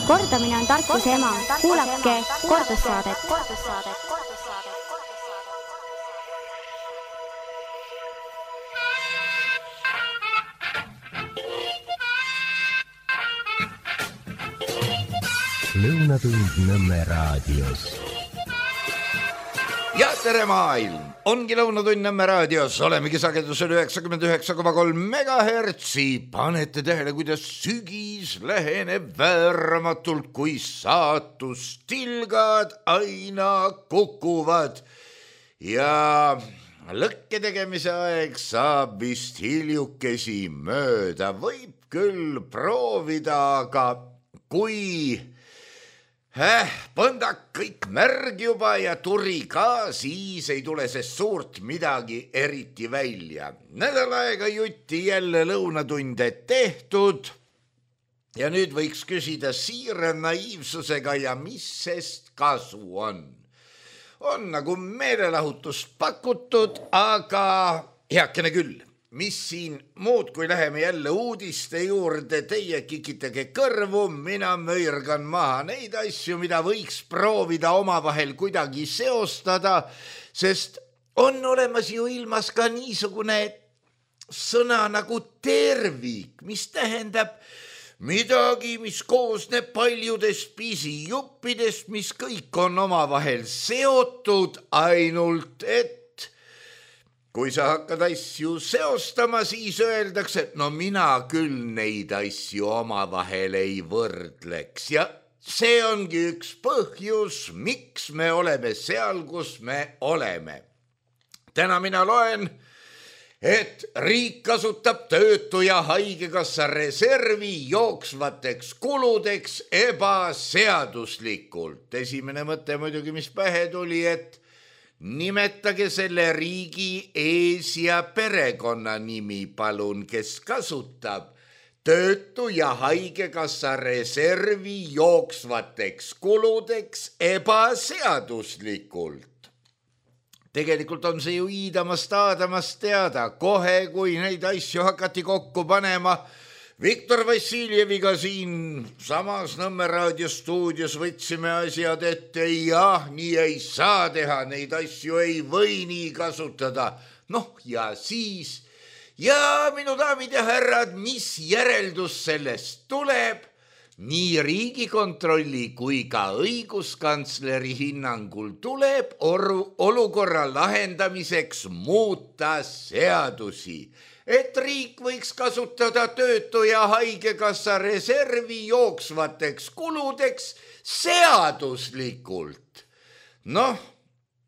Kordamine on tarkuse ema. Kuulake kordussaadet. Lõunatund Nõmme raadios. Ja tere maailm! Ongi Lõunatund Nõmme raadios. Olemegi sagedusel 99,3 megahertsi. Panete tähele, kuidas sügis läheneb vääramatult, kui saatustilgad aina kukuvad. Ja lõkke tegemise aeg saab vist hiljukesi mööda. Võib küll proovida, aga kui põndak kõik märg juba ja turi ka, siis ei tule see suurt midagi eriti välja. Nädal aega jutti jälle lõunatunde tehtud ja nüüd võiks küsida siira naiivsusega ja mis sest kasu on. On nagu meelelahutust pakutud, aga heakene küll. Mis siin muud, kui läheme jälle uudiste juurde, teie kikitage kõrvu, mina möirgan maha neid asju, mida võiks proovida omavahel kuidagi seostada, sest on olemas ju ilmas ka niisugune sõna nagu tervik, mis tähendab midagi, mis koosneb paljudest pisijuppidest, mis kõik on omavahel seotud, ainult et kui sa hakkad asju seostama, siis öeldakse, no mina küll neid asju omavahel ei võrdleks. Ja see ongi üks põhjus, miks me oleme seal, kus me oleme. Täna mina loen, et riik kasutab töötu- ja haigekassa reservi jooksvateks kuludeks ebaseaduslikult. Esimene mõte muidugi, mis pähe tuli, et nimetage selle riigi ees- ja perekonnanimi palun, kes kasutab töötu- ja haigekassa reservi jooksvateks kuludeks ebaseaduslikult. Tegelikult on see ju iidamast teada, kohe kui neid asju hakati kokku panema. Viktor Vassiljeviga siin samas Nõmme raadiostuudios võtsime asjad ette, jah, nii ei saa teha, neid asju ei või nii kasutada. Noh, ja siis, ja minu daamid ja härrad, mis järeldus sellest tuleb? Nii Riigikontrolli kui ka õiguskantsleri hinnangul tuleb olukorra lahendamiseks muuta seadusi. Et riik võiks kasutada töötu- ja haigekassa reservi jooksvateks kuludeks seaduslikult. Noh,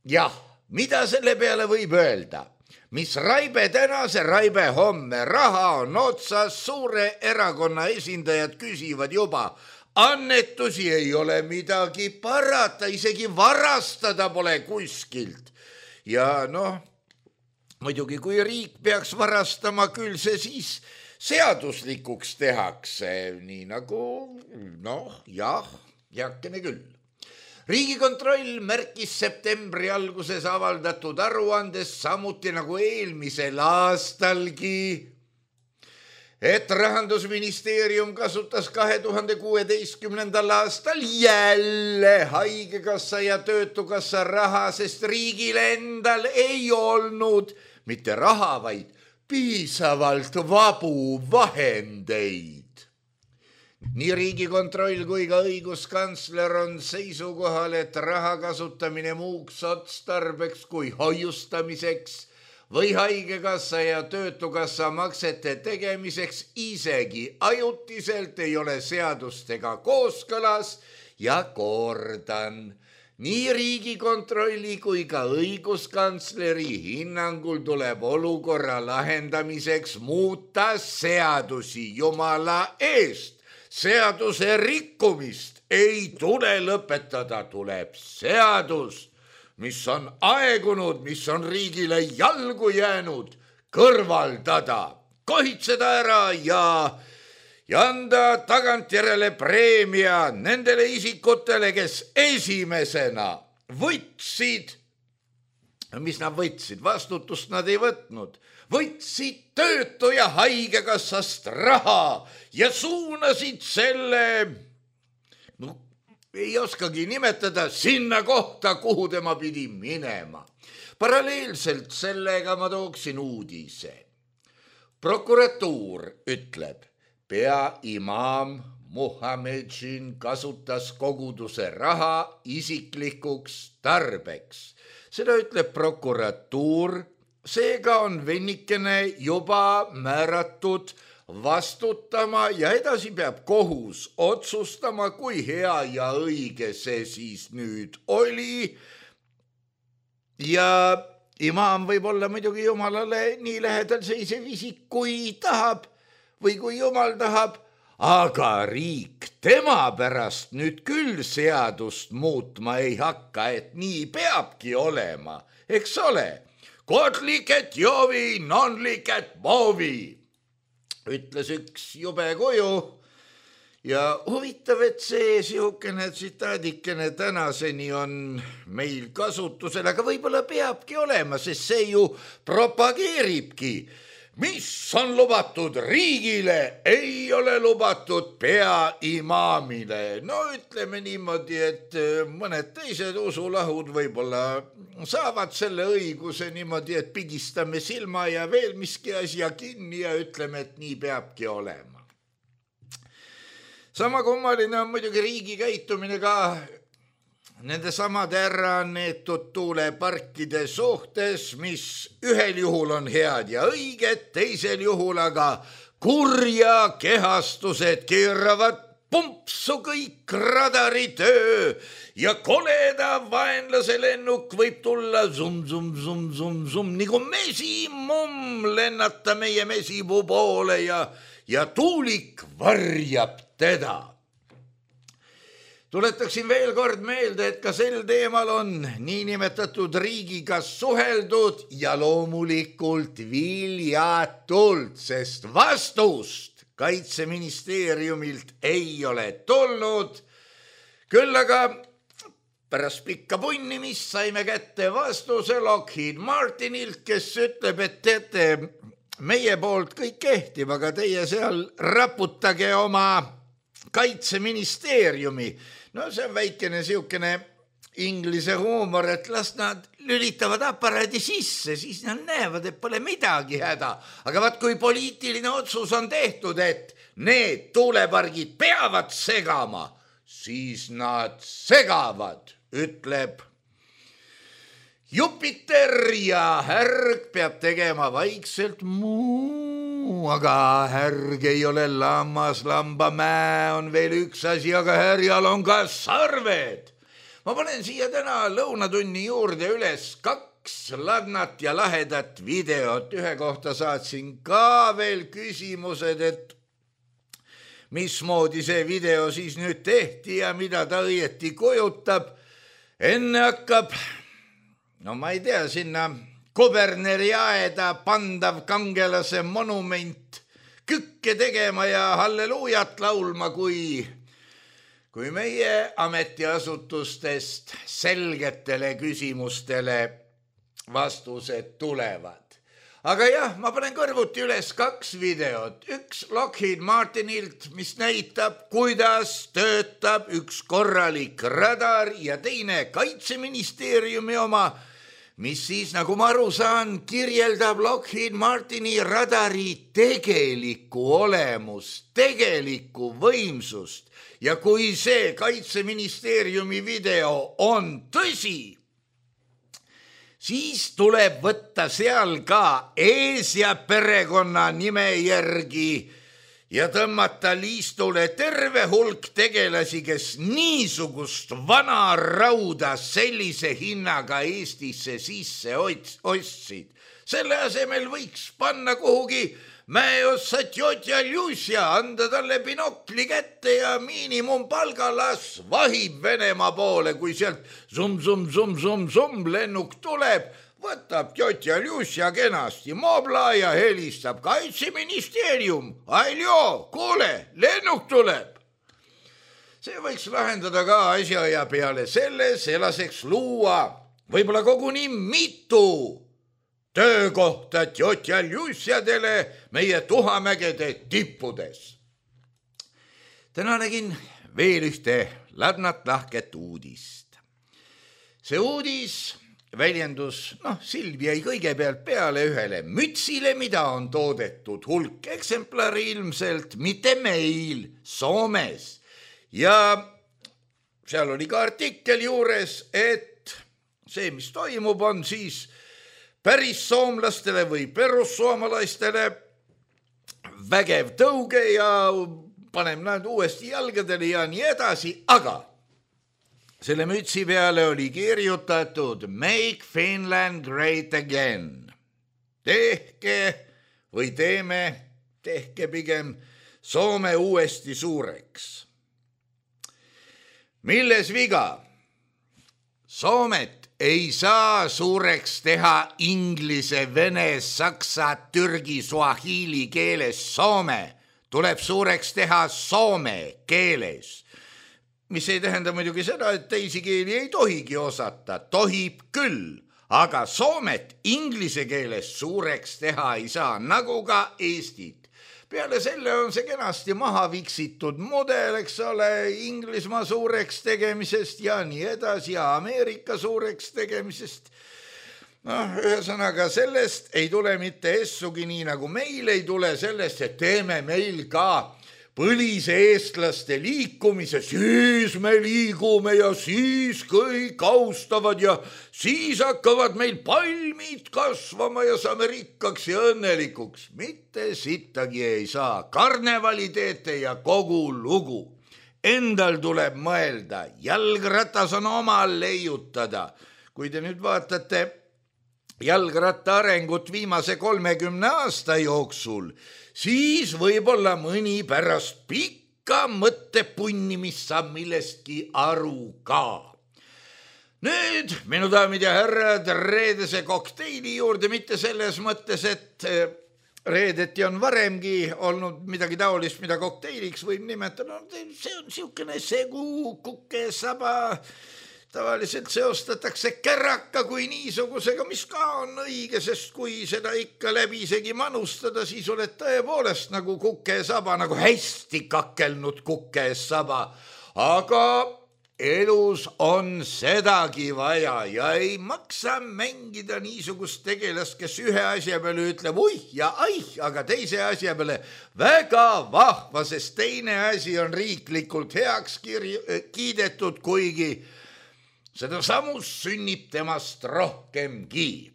jah, mida selle peale võib öelda? Mis raibe täna, see raibe homme. Raha on otsas, suure erakonna esindajad küsivad juba. Annetusi ei ole midagi parata, isegi varastada pole kuskilt. Ja noh, muidugi, kui riik peaks varastama, küll see siis seaduslikuks tehakse, nii nagu, noh, jah, heakene küll. Riigikontroll märkis septembri alguses avaldatud aruandes samuti nagu eelmisel aastalgi, et Rahandusministeerium kasutas 2016. aastal jälle haigekassa ja töötukassa raha, sest riigil endal ei olnud mitte raha, vaid piisavalt vabu vahendeid. Nii Riigikontroll kui ka õiguskantsler on seisukohal, et raha kasutamine muuks otstarbeks kui hoiustamiseks või haigekassa ja töötukassa maksete tegemiseks isegi ajutiselt ei ole seadustega kooskõlas ja kordan. Nii Riigikontrolli kui ka õiguskantsleri hinnangul tuleb olukorra lahendamiseks muuta seadusi, jumala eest. Seaduse rikkumist ei tule lõpetada, tuleb seadus, mis on aegunud, mis on riigile jalgu jäänud, kõrvaldada, kohitseda ära ja anda tagantjärele preemia nendele isikutele, kes esimesena võtsid, mis nad võtsid, vastutust nad ei võtnud, võtsid töötu- ja haigekassast raha ja suunasid selle no ei oskagi nimetada sinna kohta, kuhu tema pidi minema. Paralleelselt sellega ma tooksin uudise. Prokuratuur ütleb, peaimaam Muhamedžin kasutas koguduse raha isiklikuks tarbeks. Seda ütleb prokuratuur, seega on vennikene juba määratud vastutama ja edasi peab kohus otsustama, kui hea ja õige see siis nüüd oli. Ja imaam võib olla muidugi jumalale nii lähedal seisev isik, kui tahab või kui jumal tahab, aga riik tema pärast nüüd küll seadust muutma ei hakka, et nii peabki olema, eks ole. God liket Jovi, non liket Bovi, ütles üks jube kuju. Ja huvitav, et see sihukene tsitaadikene tänaseni on meil kasutusel, aga võib-olla peabki olema, sest see ju propageeribki. Mis on lubatud riigile, ei ole lubatud peaimaamile. No ütleme niimoodi, et mõned teised usulahud võib-olla saavad selle õiguse niimoodi, et pigistame silma ja veel miski asja kinni ja ütleme, et nii peabki olema. Sama kummaline on muidugi riigi käitumine ka nende samade äraneetud tuuleparkide suhtes, mis ühel juhul on head ja õiged, teisel juhul aga kurja kehastused keeravad pumpsu kõik radaritöö ja koleda vaenlase lennuk võib tulla zum, nagu mesimumm lennata meie mesipuu poole ja tuulik varjab teda. Tuletaksin veel kord meelde, et ka sel teemal on niinimetatud riigiga suheldud ja loomulikult viljatult, sest vastust Kaitseministeeriumilt ei ole tulnud. Küll aga pärast pikka punnimist saime kätte vastuse Lockheed Martinilt, kes ütleb, et teate, meie poolt kõik kehtib, aga teie seal raputage oma Kaitseministeeriumi. No see on väikene siukene inglise huumor, et las nad lülitavad aparaadi sisse, siis nad näevad, et pole midagi häda. Aga vaat kui poliitiline otsus on tehtud, et need tuulepargid peavad segama, siis nad segavad, ütleb Jupiter ja härg peab tegema vaikselt muu, aga härg ei ole lammas, lambamäe on veel üks asi, aga härjal on ka sarved. Ma panen siia täna lõunatunni juurde üles 2 ladnat ja lahedat videot. Ühe kohta saatsin ka veel küsimused, et mismoodi see video siis nüüd tehti ja mida ta õieti kujutab. Enne hakkab, no ma ei tea, sinna Kuberneri aeda pandav kangelase monument kükke tegema ja halleluujat laulma, kui meie ametiasutustest selgetele küsimustele vastused tulevad. Aga jah, ma panen kõrvuti üles 2 videot. Üks Lockheed Martinilt, mis näitab, kuidas töötab üks korralik radar ja teine Kaitseministeeriumi oma, mis siis, nagu ma aru saan, kirjeldab Lockheed Martini radari tegelikku olemust, tegelikku võimsust. Ja kui see Kaitseministeeriumi video on tõsi, siis tuleb võtta seal ka ees ja perekonna nime järgi ja tõmmata liistule terve hulk tegelasi, kes niisugust vana rauda sellise hinnaga Eestisse sisse ostsid. Selle asemel võiks panna kuhugi mäeossa tjotja Ljusja, anda talle binokli kätte ja miinimumpalgalas vahib Venemaa poole, kui sealt zum lennuk tuleb, võtab tjotja Ljusja kenasti mobla ja helistab Kaitseministeerium. Aljo, kuule, lennuk tuleb. See võiks lahendada ka asja ja peale selle laseks luua võib-olla koguni mitu töökohta tjotja Ljusjadele meie Tuhamägede tippudes. Täna nägin veel ühte ladnat lahket uudist. See uudis väljendus, silm jäi kõigepealt peale ühele mütsile, mida on toodetud hulk eksemplari ilmselt, mitte meil, Soomes. Ja seal oli ka artikkel juures, et see, mis toimub, on siis päris soomlastele või perussoomalaistele vägev tõuge ja paneme nad uuesti jalgadele ja nii edasi, aga selle mütsi peale oli kirjutatud Make Finland Great Again. Tehke või tehke pigem Soome uuesti suureks. Milles viga? Soomet ei saa suureks teha inglise, vene, saksa, türgi, suahiili keeles. Soome tuleb suureks teha soome keeles. Mis ei tähenda muidugi seda, et teisi keeli ei tohigi osata. Tohib küll, aga Soomet inglise keeles suureks teha ei saa, nagu ka Eestit. Peale selle on see kenasti maha viksitud mudel, eks ole, Inglismaa suureks tegemisest ja nii edasi ja Ameerika suureks tegemisest. Ühesõnaga sellest ei tule mitte essugi nii, nagu meil ei tule sellest, et teeme meil ka põlise eestlaste liikumise, siis me liigume ja siis kõik austavad ja siis hakkavad meil palmid kasvama ja saame rikkaks ja õnnelikuks. Mitte sittagi ei saa. Karnevali teete ja kogu lugu. Endal tuleb mõelda, jalgratas on omal leiutada. Kui te nüüd vaatate jalgratta arengut viimase 30 aasta jooksul, siis võib-olla mõni pärast pikka mõttepunnimist saab millestki aru ka. Nüüd, minu daamid ja härrad, reedese kokteili juurde, mitte selles mõttes, et reedeti on varemgi olnud midagi taolist, mida kokteiliks võib nimetada. See on siukene segu, kuke, saba. Tavaliselt seostatakse käraka kui niisugusega, mis ka on õige, sest kui seda ikka läbisegi manustada, siis oled tõepoolest nagu kukesaba, nagu hästi kakelnud kukesaba. Aga elus on sedagi vaja ja ei maksa mängida niisugust tegelast, kes ühe asja peale ütleb uih ja aih, aga teise asja peale väga vahva, sest teine asi on riiklikult heaks kiidetud, kuigi seda samus sünnib temast rohkemgi.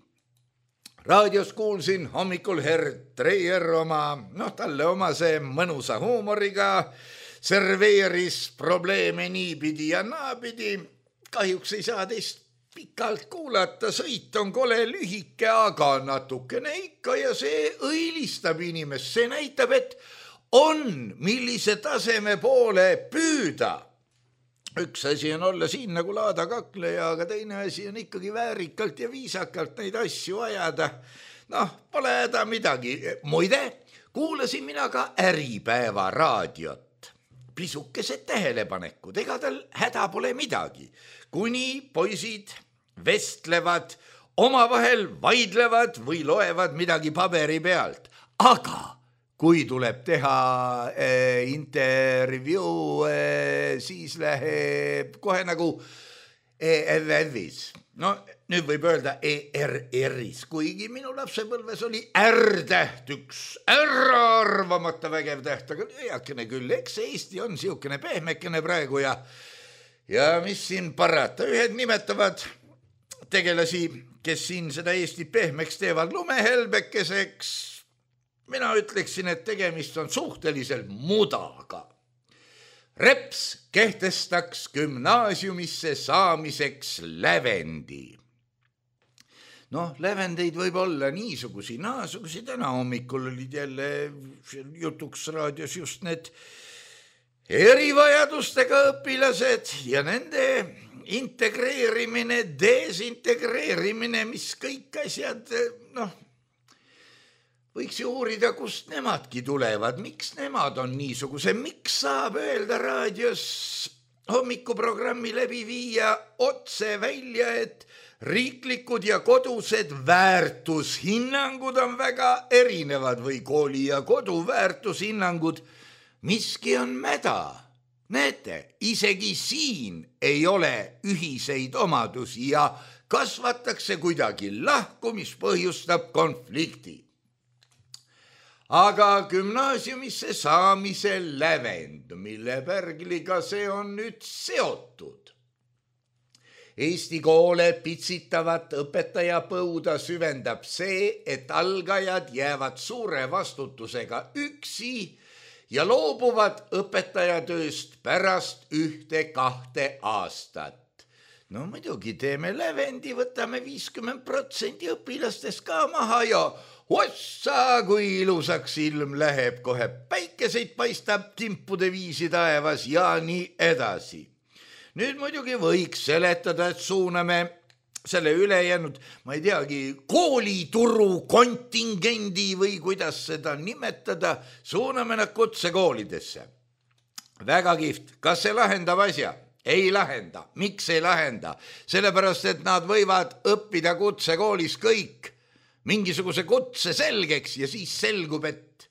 Raadios kuulsin hommikul Herd Treier talle omase mõnusa huumoriga serveeris probleeme niipidi ja naapidi. Kahjuks ei saa teist pikalt kuulata, sõit on kole lühike, aga natukene ikka ja see õilistab inimest. See näitab, et on millise taseme poole püüda. Üks asi on olla siin nagu laada kakleja, aga teine asi on ikkagi väärikalt ja viisakalt neid asju ajada. Pole häda midagi. Muide, kuulasin mina ka Äripäeva raadiot. Pisukesed tähelepanekud, ega tal häda pole midagi. Kuni poisid vestlevad, omavahel vaidlevad või loevad midagi paberi pealt. Aga kui tuleb teha intervjuu, siis läheb kohe nagu ERR-is. Nüüd võib öelda ERR-is, kuigi minu lapsepõlves oli R-täht, üks äraarvamata vägev täht, aga eakene küll, eks Eesti on siukene pehmekene praegu ja mis siin parata. Ühed nimetavad tegelasi, kes siin seda Eesti pehmeks teevad lumehelbekeseks. Mina ütleksin, et tegemist on suhteliselt mudaga. Reps kehtestaks gümnaasiumisse saamiseks lävendi. Lävendeid võib olla niisugusi, naasugusi. Täna hommikul olid jälle jutuks raadios just need erivajadustega õpilased ja nende integreerimine, desintegreerimine, mis kõik asjad, võiks ju uurida, kust nemadki tulevad, miks nemad on niisuguse, miks saab öelda raadios hommikuprogrammi läbi viia otse välja, et riiklikud ja kodused väärtushinnangud on väga erinevad või kooli ja kodu väärtushinnangud, miski on mäda. Näete, isegi siin ei ole ühiseid omadusi ja kasvatakse kuidagi lahku, mis põhjustab konflikti. Aga gümnaasiumisse saamise lävend, mille pärgliga see on nüüd seotud. Eesti koole pitsitavat õpetajapõuda süvendab see, et algajad jäävad suure vastutusega üksi ja loobuvad õpetajatööst pärast 1-2 aastat. No muidugi teeme lävendi, võtame 50% õpilastest ka maha ja ossa, kui ilusaks ilm läheb, kohe päikeseid paistab timpude viisi taevas ja nii edasi. Nüüd muidugi võiks seletada, et suuname selle ülejäänud, ma ei teagi, koolituru kontingendi või kuidas seda nimetada, suuname nad kutsekoolidesse. Väga kihvt. Kas see lahendab asja? Ei lahenda. Miks ei lahenda? Sellepärast, et nad võivad õppida kutsekoolis kõik mingisuguse kutse selgeks ja siis selgub, et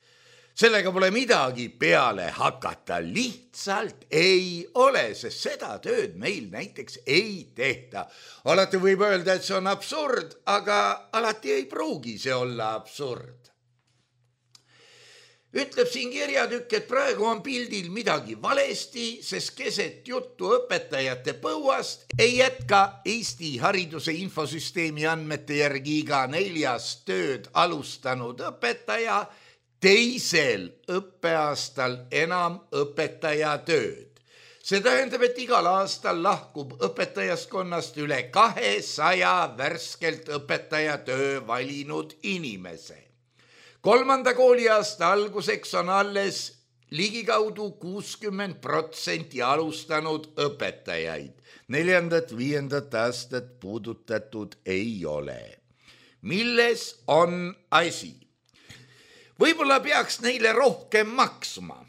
sellega pole midagi peale hakata. Lihtsalt ei ole, sest seda tööd meil näiteks ei tehta. Alati võib öelda, et see on absurd, aga alati ei pruugi see olla absurd. Ütleb siin kirjatükk, et praegu on pildil midagi valesti, sest keset juttu õpetajate põuast ei jätka Eesti hariduse infosüsteemi andmete järgi iga 4. tööd alustanud õpetaja teisel õppeaastal enam õpetajatööd. See tähendab, et igal aastal lahkub õpetajaskonnast üle 200 värskelt õpetajatöö valinud inimese. 3. kooliaasta alguseks on alles ligikaudu 60% alustanud õpetajaid. 4. 5. aastat puudutatud ei ole. Milles on asi? Võib-olla peaks neile rohkem maksma.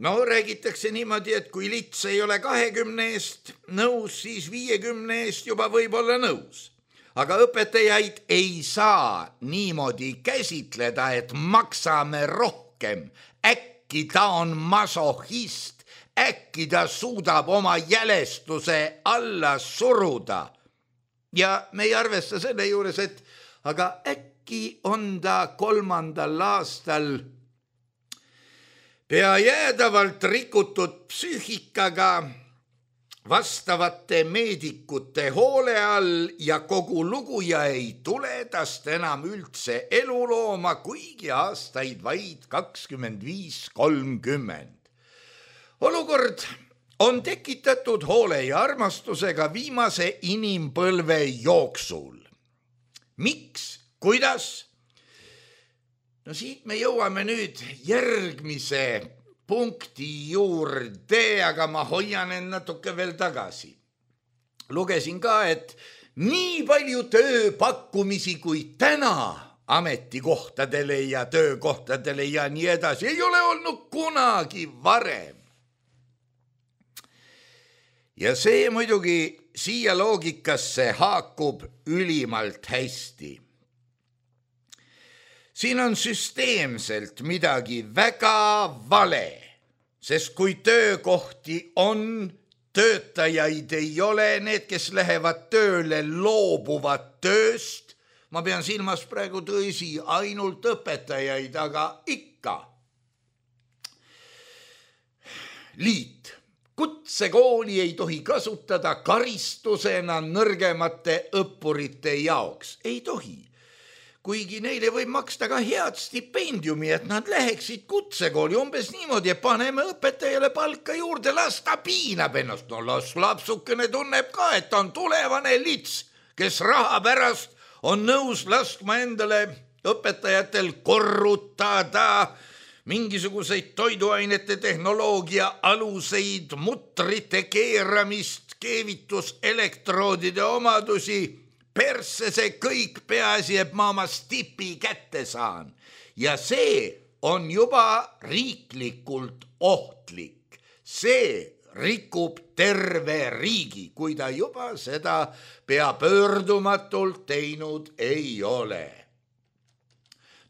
No räägitakse niimoodi, et kui lits ei ole 20 eest nõus, siis 50 eest juba võib olla nõus. Aga õpetajaid ei saa niimoodi käsitleda, et maksame rohkem. Äkki ta on masohhist, äkki ta suudab oma jälestuse alla suruda. Ja me ei arvesta selle juures, et aga äkki on ta 3. aastal pea jäädavalt rikutud psüühikaga vastavate meedikute hoole all ja kogu lugu ja ei tule tast enam üldse elulooma, kuigi aastaid vaid 25-30. Olukord on tekitatud hoole ja armastusega viimase inimpõlve jooksul. Miks? Kuidas? No siit me jõuame nüüd järgmise punkti juurde, aga ma hoian end natuke veel tagasi. Lugesin ka, et nii palju tööpakkumisi kui täna ametikohtadele ja töökohtadele ja nii edasi ei ole olnud kunagi varem. Ja see muidugi siia loogikasse haakub ülimalt hästi. Siin on süsteemselt midagi väga vale, sest kui töökohti on, töötajaid ei ole, need, kes lähevad tööle, loobuvad tööst. Ma pean silmas praegu tõsi ainult õpetajaid, aga ikka. Liit. Kutsekooli ei tohi kasutada karistusena nõrgemate õppurite jaoks. Ei tohi. Kuigi neile võib maksta ka head stipendiumi, et nad läheksid kutsekooli umbes niimoodi, et paneme õpetajale palka juurde, las ta piinab ennast. No las lapsukene tunneb ka, et on tulevane lits, kes raha pärast on nõus laskma endale õpetajatel korrutada mingisuguseid toiduainete tehnoloogia aluseid, mutrite keeramist, keevituselektroodide omadusi. Persse see kõik, peaasi, et ma oma stipi kätte saan. Ja see on juba riiklikult ohtlik. See rikub terve riigi, kui ta juba seda pea pöördumatult teinud ei ole.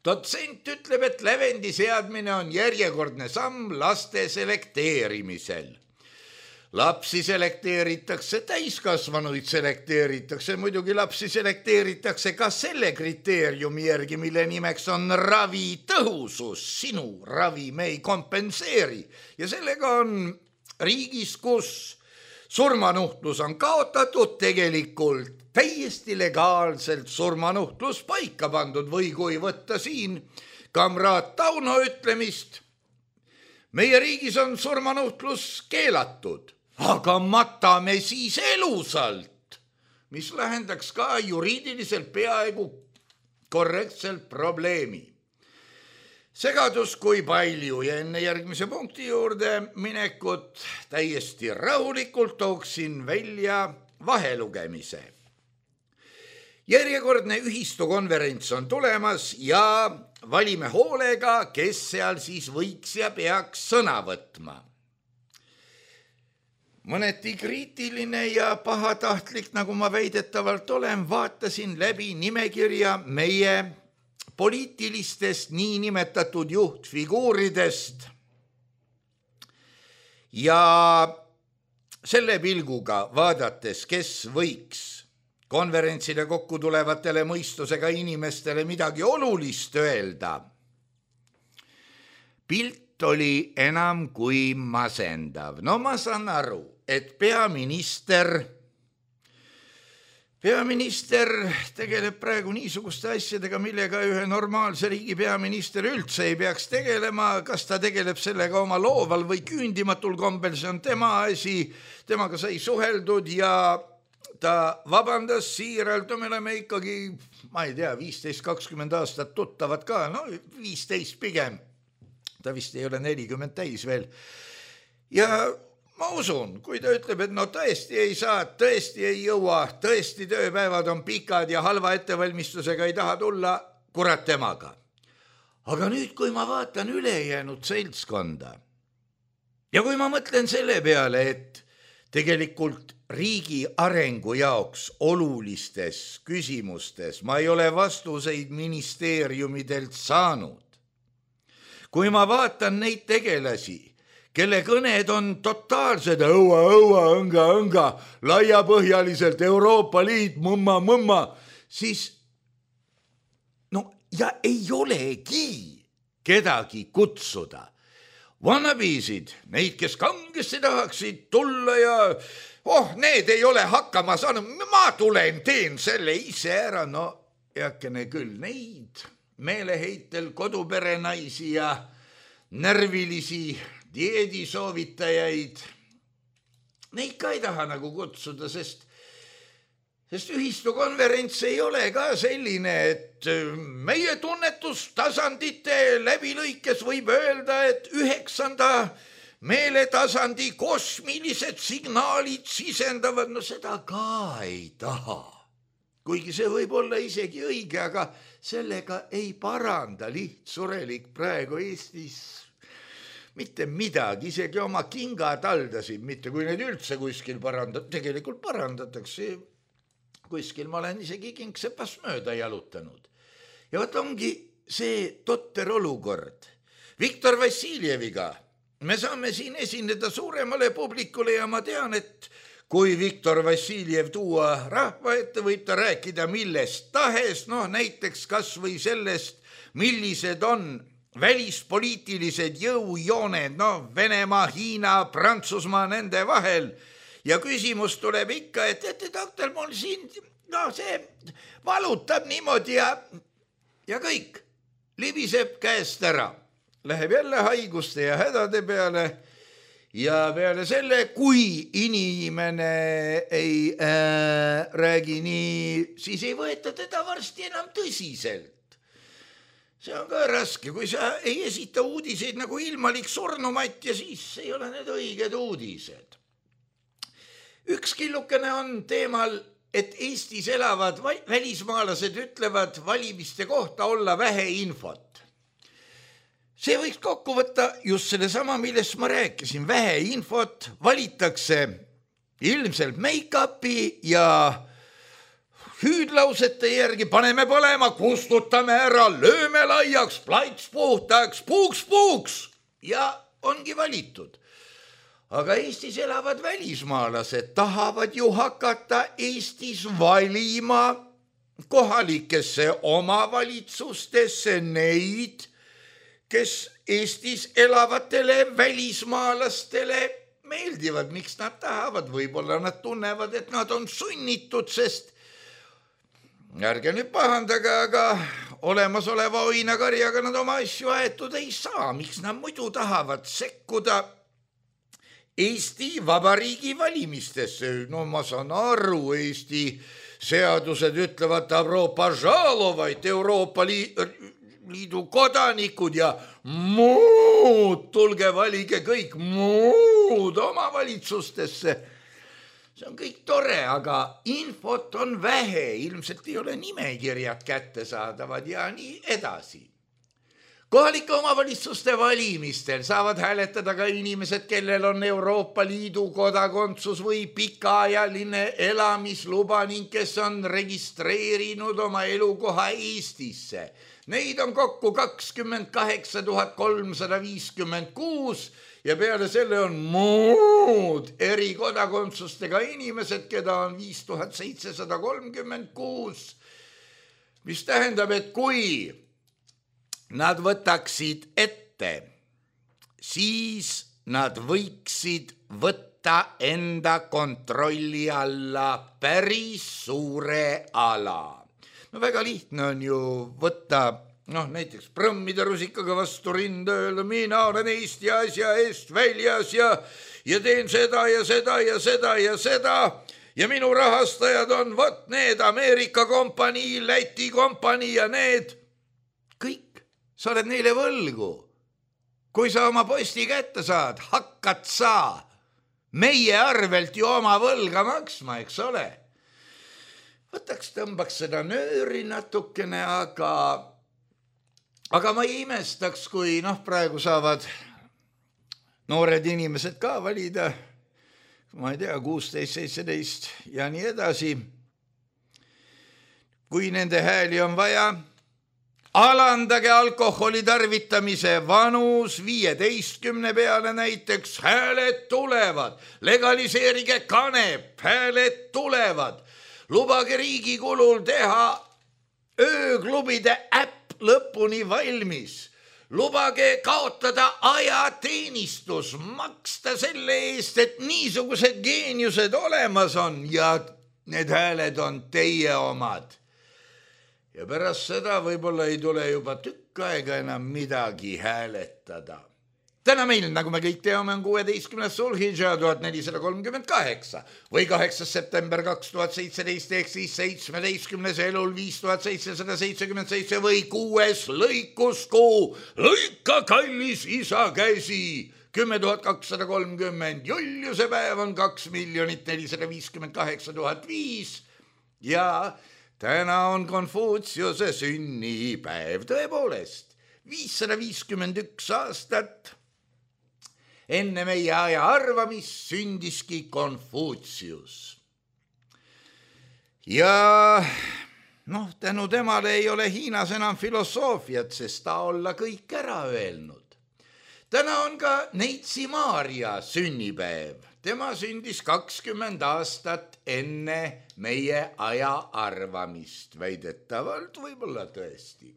Dotsent ütleb, et lävendi seadmine on järjekordne samm laste selekteerimisel. lapsi selekteeritakse, täiskasvanuid selekteeritakse, muidugi lapsi selekteeritakse ka selle kriteeriumi järgi, mille nimeks on ravitõhusus. Sinu ravi me ei kompenseeri ja sellega on riigis, kus surmanuhtlus on kaotatud, tegelikult täiesti legaalselt surmanuhtlus paika pandud või kui võtta siin kamraad Tauno ütlemist, meie riigis on surmanuhtlus keelatud, aga matame siis elusalt, mis lahendaks ka juriidiliselt peaaegu korrektselt probleemi. Segadus kui palju ja enne järgmise punkti juurde minekut täiesti rahulikult tooksin välja vahelugemise. Järjekordne ühistukonverents on tulemas ja valime hoolega, kes seal siis võiks ja peaks sõna võtma. Mõneti kriitiline ja pahatahtlik, nagu ma väidetavalt olen, vaatasin läbi nimekirja meie poliitilistest niinimetatud juhtfiguuridest ja selle pilguga vaadates, kes võiks konverentsile kokku tulevatele mõistusega inimestele midagi olulist öelda. Pilt oli enam kui masendav. No ma saan aru, et peaminister tegeleb praegu niisuguste asjadega, millega ühe normaalse riigi peaminister üldse ei peaks tegelema. Kas ta tegeleb sellega oma looval või küündimatul kombel, see on tema asi, temaga sai suheldud ja ta vabandas siiralt, me oleme ikkagi, ma ei tea, 15-20 aastat tuttavad ka, no 15 pigem, ta vist ei ole 40 täis veel. Ja ma usun, kui ta ütleb, et no tõesti ei saa, tõesti ei jõua, tõesti tööpäevad on pikad ja halva ettevalmistusega ei taha tulla, kurat temaga. Aga nüüd, kui ma vaatan ülejäänud seltskonda ja kui ma mõtlen selle peale, et tegelikult riigi arengu jaoks olulistes küsimustes ma ei ole vastuseid ministeeriumidelt saanud. Kui ma vaatan neid tegelasi, kelle kõned on totaalsed, õnga, laiapõhjaliselt Euroopa Liit, mõmma, siis no ja ei olegi kedagi kutsuda. Vannabiisid, neid, kes kangesti tahaksid tulla ja need ei ole hakkama saanud, ma tulen, teen selle ise ära, no heakene küll neid meeleheitel koduperenaisi ja närvilisi dieedisoovitajaid, neid ka ei taha nagu kutsuda, sest ühistukonverents ei ole ka selline, et meie tunnetustasandite läbilõikes võib öelda, et 9. meeletasandi kosmilised signaalid sisendavad, no seda ka ei taha. Kuigi see võib olla isegi õige, aga sellega ei paranda lihtsurelik praegu Eestis mitte midagi, isegi oma kingad aldasid, mitte kui need üldse kuskil tegelikult parandatakse. Kuskil ma olen isegi kingsepast mööda jalutanud. Ja võt ongi see totter olukord. Viktor Vassiljeviga me saame siin esineda suuremale publikule ja ma tean, et kui Viktor Vassiljev tuua rahva ette, võib ta rääkida millest tahes, näiteks kas või sellest, millised on välispoliitilised jõujooned, Venemaa, Hiina, Prantsusmaa nende vahel. Ja küsimus tuleb ikka, et doktor, mul siin, see valutab niimoodi ja kõik libiseb käest ära. Läheb jälle haiguste ja hädade peale ja peale selle, kui inimene ei räägi nii, siis ei võeta teda varsti enam tõsiselt. See on ka raske, kui sa ei esita uudiseid nagu ilmalik surnumat ja siis ei ole need õiged uudised. Üks killukene on teemal, et Eestis elavad välismaalased ütlevad valimiste kohta olla vähe infot. See võiks kokku võtta just selle sama, millest ma rääkisin. Vähe infot, valitakse ilmselt make-upi ja hüüdlausete järgi paneme põlema, kustutame ära, lööme laiaks, plats puhtaks, puuks ja ongi valitud. aga Eestis elavad välismaalased tahavad ju hakata Eestis valima kohalikesse omavalitsustesse neid, kes Eestis elavatele välismaalastele meeldivad. Miks nad tahavad? Võib-olla nad tunnevad, et nad on sunnitud, sest ärge nüüd pahandage, aga olemasoleva oinakarjaga nad oma asju aetud ei saa. Miks nad muidu tahavad sekkuda Eesti Vabariigi valimistesse? No ma saan aru, Eesti seadused ütlevad dobro požalovait, Euroopa Liidu kodanikud ja muud, tulge valige kõik muud omavalitsustesse. See on kõik tore, aga infot on vähe, ilmselt ei ole nimekirjad kättesaadavad ja nii edasi. Kohalike omavalitsuste valimistel saavad hääletada ka inimesed, kellel on Euroopa Liidu kodakondsus või pikaajaline elamisluba ning kes on registreerinud oma elukoha Eestisse. Neid on kokku 28 356 ja peale selle on muud erikodakondsustega inimesed, keda on 5736, mis tähendab, et kui nad võtaksid ette, siis nad võiksid võtta enda kontrolli alla päris suure ala. No väga lihtne on ju võtta, näiteks prõmmida rusikaga vastu rinda, öelda, mina olen Eesti asja eest väljas ja teen seda ja seda ja seda ja seda ja minu rahastajad on need Ameerika kompanii, Läti kompanii ja need kõik. Sa oled neile võlgu. Kui sa oma posti kätte saad, hakkad sa meie arvelt ju oma võlga maksma, eks ole. Tõmbaks seda nööri natukene, aga ma ei imestaks, kui praegu saavad noored inimesed ka valida, ma ei tea, 16, 17 ja nii edasi. Kui nende hääli on vaja, alandage alkoholi tarvitamise vanus 15 peale näiteks, hääled tulevad, legaliseerige kanep, hääled tulevad, lubage riigi kulul teha ööklubide äpp lõpuni valmis, lubage kaotada ajateenistus, maksta selle eest, et niisugused geeniused olemas on ja need hääled on teie omad. Ja pärast seda võib-olla ei tule juba tükk aega enam midagi hääletada. Täna meil, nagu me kõik teame, on 16. Sulhidža 1438 või 8. september 2017 ehk siis 17. elul 5777 või 6. lõikuskuu. Lõika kallis isa käsi 10 230. Juliuse päev on 2 458 005 ja täna on Konfutsiuse sünnipäev. Tõepoolest, 551 aastat enne meie aja arvamist sündiski Konfutsius. Ja tänu temale ei ole Hiinas enam filosoofiat, sest ta olla kõik ära öelnud. Täna on ka Neitsi Maarja sünnipäev. Tema sündis 20 aastat enne meie aja arvamist, väidetavalt võib-olla tõesti.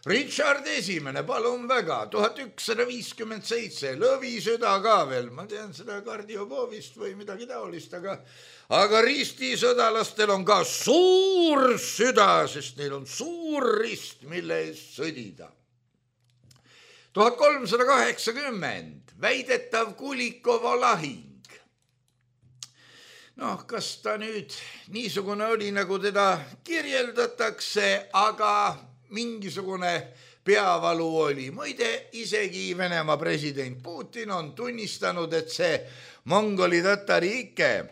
Richard Esimene, palun väga, 1157, lõvisõda ka veel, ma tean seda kardiopoovist või midagi taolist, aga ristisõdalastel on ka suur süda, sest neil on suur rist, mille eest sõdida. 1380, väidetav Kulikova lahing. Kas ta nüüd niisugune oli, nagu teda kirjeldatakse, aga mingisugune peavalu oli. Muide, isegi Venemaa president Putin on tunnistanud, et see mongoli tatari ikke,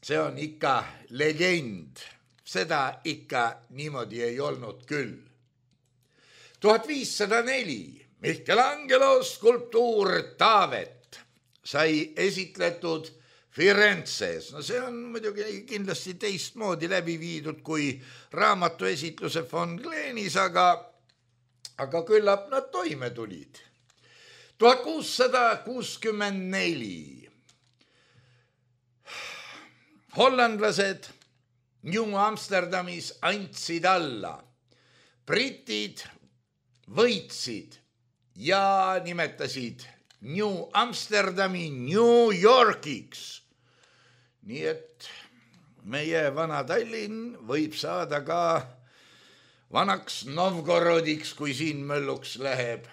see on ikka legend. Seda ikka niimoodi ei olnud küll. 1504, Michelangelo skulptuur Taavet sai esitletud Firenzes. See on muidugi kindlasti teistmoodi läbi viidud kui raamatuesitluse von Gleenis, aga küllap nad toime tulid. 1664. Hollandlased New Amsterdamis andsid alla. Britid võitsid ja nimetasid New Amsterdami New Yorkiks. Nii et meie vana Tallinn võib saada ka vanaks Novgorodiks, kui siin mölluks läheb.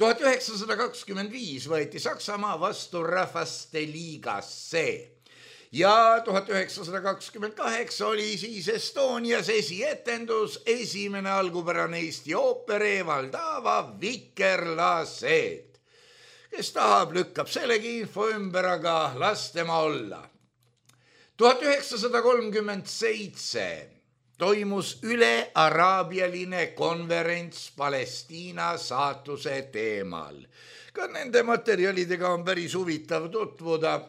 1925 võeti Saksamaa vastu rahvaste liigasse ja 1928 oli siis Estonias esietendus esimene algupärane Eesti ooper Evaldava Vikerlased. Kes tahab, lükkab sellegi info ümber, aga las tema olla. 1937 toimus ülearaabialine konverents Palestiina saatuse teemal. Ka nende materjalidega on päris huvitav tutvuda.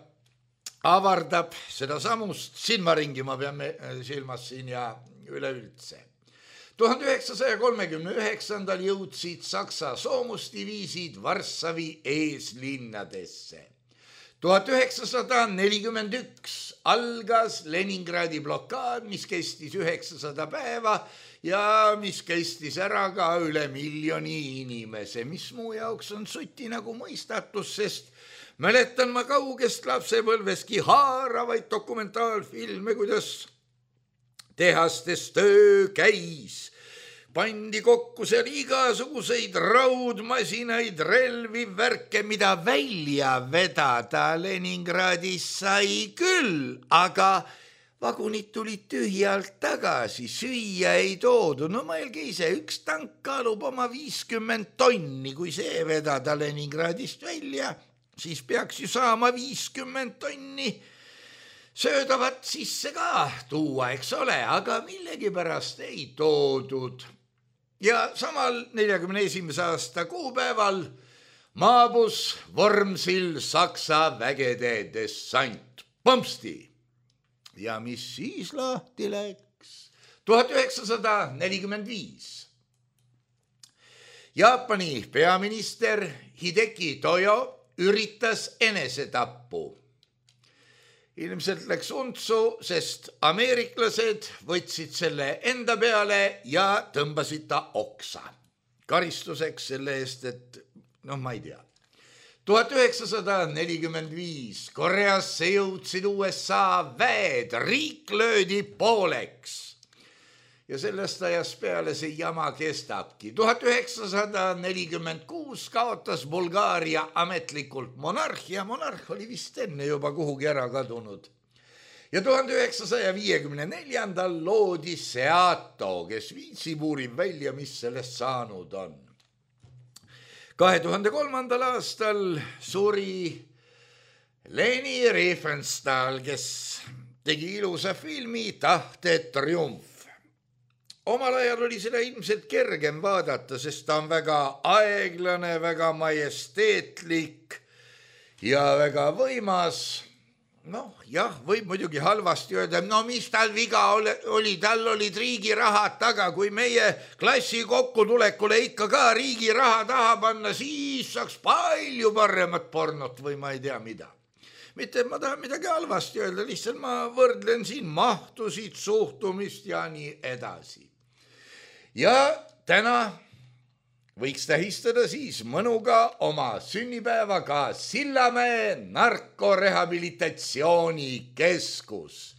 Avardab seda samust silmaringi, ma peame silmas siin ja üleüldse. 1939. jõudsid Saksa soomusdiviisid Varssavi eeslinnadesse. 1941 algas Leningradi blokaad, mis kestis 900 päeva ja mis kestis ära ka üle 1 miljoni inimese, mis muu jaoks on suti nagu mõistatus, sest mäletan ma kaugest lapsepõlveski haaravaid dokumentaalfilme, kuidas tehastes töö käis. Pandi kokku seal igasuguseid raudmasinaid, relvi, värke, mida välja vedada Leningradis sai küll, aga vagunid tulid tühjalt tagasi, süüa ei toodu. No mõelge ise, üks tank kaalub oma 50 tonni, kui see vedada Leningradist välja, siis peaks ju saama 50 tonni söödavat sisse ka tuua, eks ole, aga millegipärast ei toodud. Ja samal 41. aasta kuupäeval maabus Vormsil Saksa vägede dessant. Põmpsti! Ja mis siis lahti läks? 1945. Jaapani peaminister Hideki Tojo üritas enesetappu. Ilmselt läks untsu, sest ameeriklased võtsid selle enda peale ja tõmbasid ta oksa. Karistuseks selle eest, et ma ei tea. 1945 Koreasse jõudsid USA väed, riik löödi pooleks. Ja sellest ajast peale see jama kestabki. 1946 kaotas Bulgaaria ametlikult monarhia. Monarh oli vist enne juba kuhugi ära kadunud. Ja 1954 loodi Seato, kes viitsib uurib välja, mis sellest saanud on. 2003. aastal suri Leni Riefenstahl, kes tegi ilusa filmi Tahte triumf. Omal ajal oli seda ilmselt kergem vaadata, sest ta on väga aeglane, väga majesteetlik ja väga võimas. Jah, võib muidugi halvasti öelda, mis tal viga oli, tal olid riigi rahad taga, kui meie klassi kokkutulekule ikka ka riigi raha taha panna, siis saaks palju paremat pornot või ma ei tea mida. Mitte, ma tahan midagi halvasti öelda, lihtsalt ma võrdlen siin mahtusid, suhtumist ja nii edasi. Ja täna võiks tähistada siis mõnuga oma sünnipäevaga Sillamäe narkorehabilitatsioonikeskus,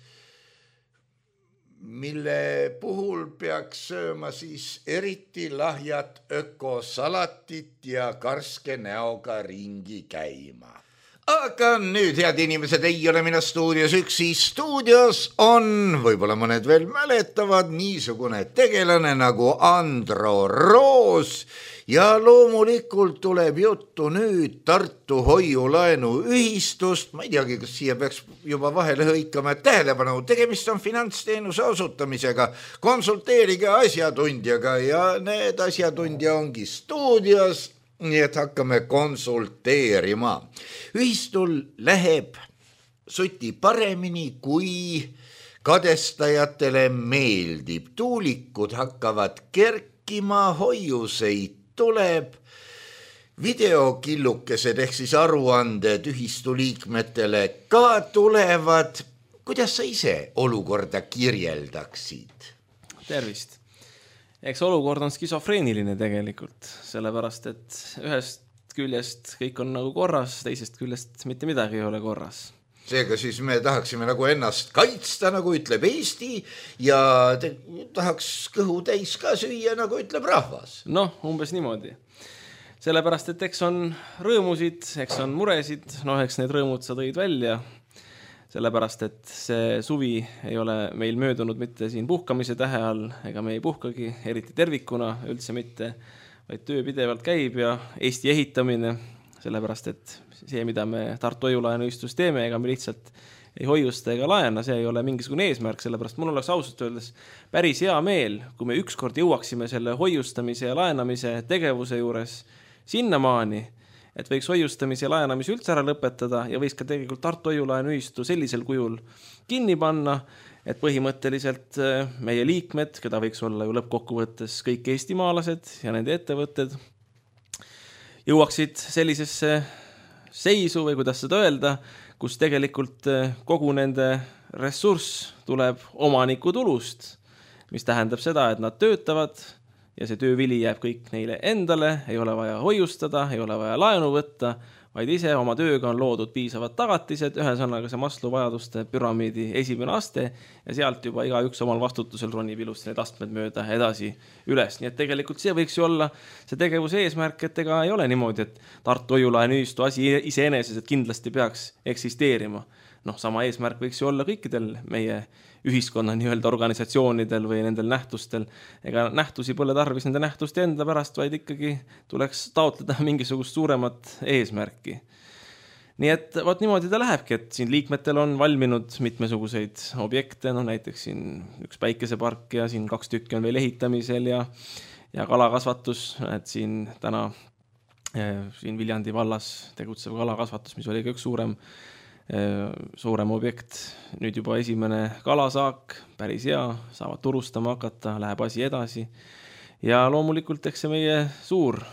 mille puhul peaks sööma siis eriti lahjat ökosalatit ja karske näoga ringi käima. Aga nüüd, head inimesed, ei ole mina stuudios üksi. Stuudios on, võib-olla mõned veel mäletavad, niisugune tegelane nagu Andro Roos ja loomulikult tuleb juttu nüüd Tartu hoiulaenu ühistust. Ma ei teagi, kas siia peaks juba vahele hõikama, et tähelepanu, tegemist on finantsteenuse osutamisega. Konsulteerige asjatundjaga ja need asjatundja ongi stuudios. Nii et hakkame konsulteerima. Ühistul läheb suti paremini, kui kadestajatele meeldib. Tuulikud hakkavad kerkima, hoiuseid tuleb videokillukesed ehk siis aruanded ühistu liikmetele ka tulevad. Kuidas sa ise olukorda kirjeldaksid? Tervist. Eks olukord on skisofreeniline tegelikult, sellepärast, et ühest küljest kõik on nagu korras, teisest küljest mitte midagi ei ole korras. Seega siis me tahaksime nagu ennast kaitsta, nagu ütleb Eesti, ja tahaks kõhu täis ka süüa, nagu ütleb rahvas. Noh, umbes niimoodi. Sellepärast, et eks on rõõmusid, eks on muresid, eks need rõõmud sa tõid välja. Sellepärast, et see suvi ei ole meil möödunud mitte siin puhkamise tähe all, ega me ei puhkagi, eriti tervikuna, üldse mitte, vaid töö pidevalt käib ja Eesti ehitamine, sellepärast, et see, mida me Tartu hoiulaenuühistus teeme, ega me lihtsalt ei hoiusta ega laena, see ei ole mingisugune eesmärk, sellepärast mul oleks ausalt öeldes päris hea meel, kui me ükskord jõuaksime selle hoiustamise ja laenamise tegevuse juures sinnamaani, et võiks hoiustamise ja laenamise üldse ära lõpetada ja võiks ka tegelikult Tartu hoiulaenuühistu sellisel kujul kinni panna, et põhimõtteliselt meie liikmed, keda võiks olla ju lõppkokkuvõttes kõik eestimaalased ja nende ettevõtted, jõuaksid sellisesse seisu või kuidas seda öelda, kus tegelikult kogu nende ressurss tuleb omaniku tulust, mis tähendab seda, et nad töötavad ja see töövili jääb kõik neile endale, ei ole vaja hoiustada, ei ole vaja laenu võtta, vaid ise oma tööga on loodud piisavad tagatised, ühesõnaga see Maslow vajaduste püramiidi esimene aste ja sealt juba igaüks omal vastutusel ronib ilusti need astmed mööda edasi üles. Nii et tegelikult see võiks ju olla see tegevuse eesmärk, et ega ei ole niimoodi, et Tartu hoiulaenuühistu asi iseeneses, et kindlasti peaks eksisteerima. Sama eesmärk võiks ju olla kõikidel meie ühiskonna nii-öelda organisatsioonidel või nendel nähtustel. Ega nähtusi pole tarvis nende nähtuste enda pärast, vaid ikkagi tuleks taotleda mingisugust suuremat eesmärki. Nii et vaat niimoodi ta lähebki, et siin liikmetel on valminud mitmesuguseid objekte, näiteks siin üks päikesepark ja siin 2 tükki on veel ehitamisel ja kalakasvatus, et siin täna siin Viljandi vallas tegutsev kalakasvatus, mis oli ka üks suurem objekt, nüüd juba esimene kalasaak, päris hea, saavad turustama hakata, läheb asi edasi ja loomulikult eks see meie suur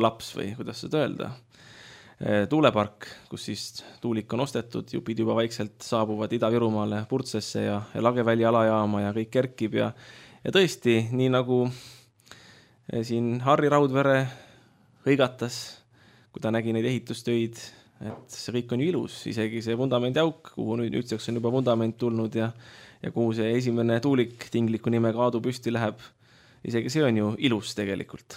laps või kuidas seda öelda, tuulepark, kus siis tuulik on ostetud, jupid juba vaikselt saabuvad Ida-Virumaale Purtsesse ja Lageväli alajaama ja kõik kerkib ja tõesti, nii nagu siin Harri Raudvere hõigatas, kui ta nägi neid ehitustöid, et see kõik on ju ilus, isegi see vundamendi auk, kuhu nüüdseks on juba vundament tulnud ja kuhu see esimene tuulik tingliku nimega Aadu püsti läheb, isegi see on ju ilus tegelikult.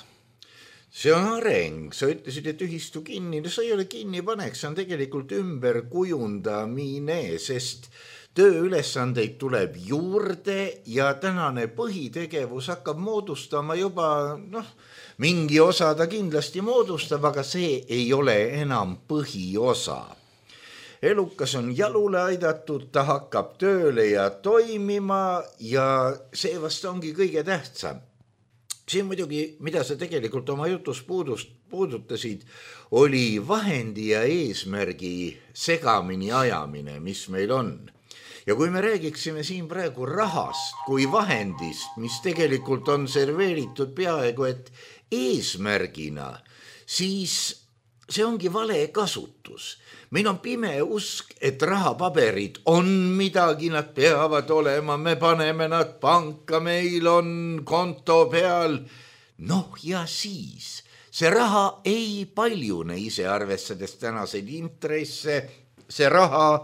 See on areng, sa ütlesid, et ühistu kinni, no sa ei ole kinni paneks, see on tegelikult ümber kujundamine, sest tööülesandeid tuleb juurde ja tänane põhitegevus hakkab moodustama juba, mingi osa ta kindlasti moodustab, aga see ei ole enam põhiosa. Elukas on jalule aidatud, ta hakkab tööle ja toimima ja see vast ongi kõige tähtsam. See muidugi, mida sa tegelikult oma jutus puudutasid, oli vahendi ja eesmärgi segamini ajamine, mis meil on. Ja kui me räägiksime siin praegu rahast kui vahendist, mis tegelikult on serveeritud peaaegu et eesmärgina, siis see ongi vale kasutus. Meil on pime usk, et rahapaberid on midagi, nad peavad olema, me paneme nad panka, meil on konto peal. Ja siis see raha ei paljune ise arvestades tänaseid intresse, see raha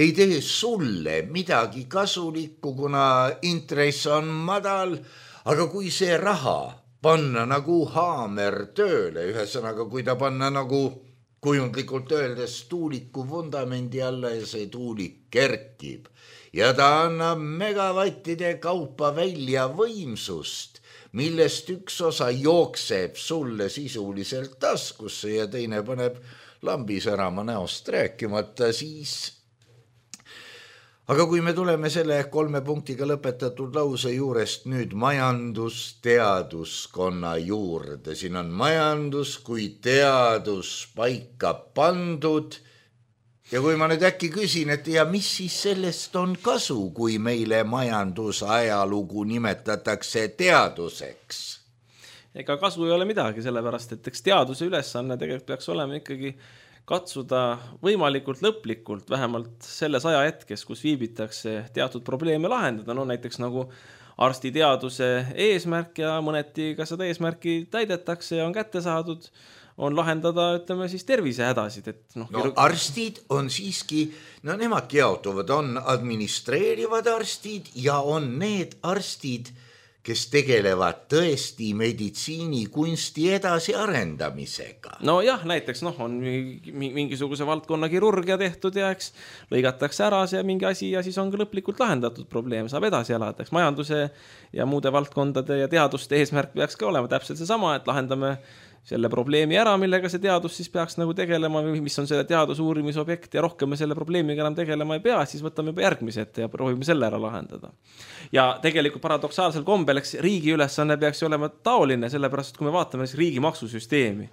ei tee sulle midagi kasulikku, kuna intress on madal, aga kui see raha panna nagu haamer tööle, ühesõnaga, kui ta panna nagu kujundlikult öeldes tuuliku vundamendi alla ja see tuulik kerkib ja ta annab megavattide kaupa välja võimsust, millest üks osa jookseb sulle sisuliselt taskusse ja teine paneb lambi särama näost rääkimata, siis aga kui me tuleme selle 3 punktiga lõpetatud lause juurest nüüd majandusteaduskonna juurde, siin on majandus kui teadus paika pandud ja kui ma nüüd äkki küsin, et ja mis siis sellest on kasu, kui meile majandusajalugu nimetatakse teaduseks? ega kasu ei ole midagi, sellepärast, et eks teaduse ülesanne tegelikult peaks olema ikkagi katsuda võimalikult lõplikult, vähemalt selles ajahetkes, kus viibitakse teatud probleeme lahendada, no näiteks nagu arstiteaduse eesmärk ja mõneti ka seda eesmärki täidetakse ja on kätte saadud, on lahendada, ütleme siis tervisehädasid. Et arstid on siiski, nemad jaotuvad, on administreerivad arstid ja on need arstid, kes tegelevad tõesti meditsiinikunsti edasiarendamisega. No jah, näiteks on mingisuguse valdkonna kirurgia tehtud ja eks lõigatakse ära see mingi asi ja siis on ka lõplikult lahendatud probleem, saab edasi elada. Eks majanduse ja muude valdkondade ja teaduste eesmärk peaks ka olema täpselt seesama, et lahendame selle probleemi ära, millega see teadus siis peaks nagu tegelema või mis on selle teadusuurimisobjekt ja rohkem me selle probleemiga enam tegelema ei pea, siis võtame juba järgmise ette ja proovime selle ära lahendada. Ja tegelikult paradoksaalsel kombel, eks riigi ülesanne peaks olema taoline, sellepärast, et kui me vaatame riigi maksusüsteemi,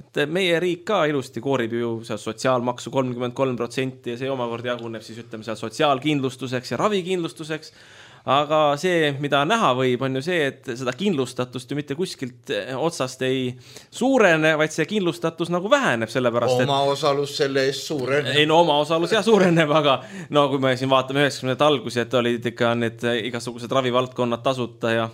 et meie riik ka ilusti koorib ju sotsiaalmaksu 33% ja see omakorda jaguneb siis ütleme seal sotsiaalkindlustuseks ja ravikindlustuseks. Aga see, mida näha võib, on ju see, et seda kindlustatust ju mitte kuskilt otsast ei suurene, vaid see kindlustatus nagu väheneb sellepärast, oma osalus selle eest suureneb. Ei, oma osalus jah suureneb, aga kui me siin vaatame 90. algusi, et olid ikka need igasugused ravivaldkonnad tasuta ja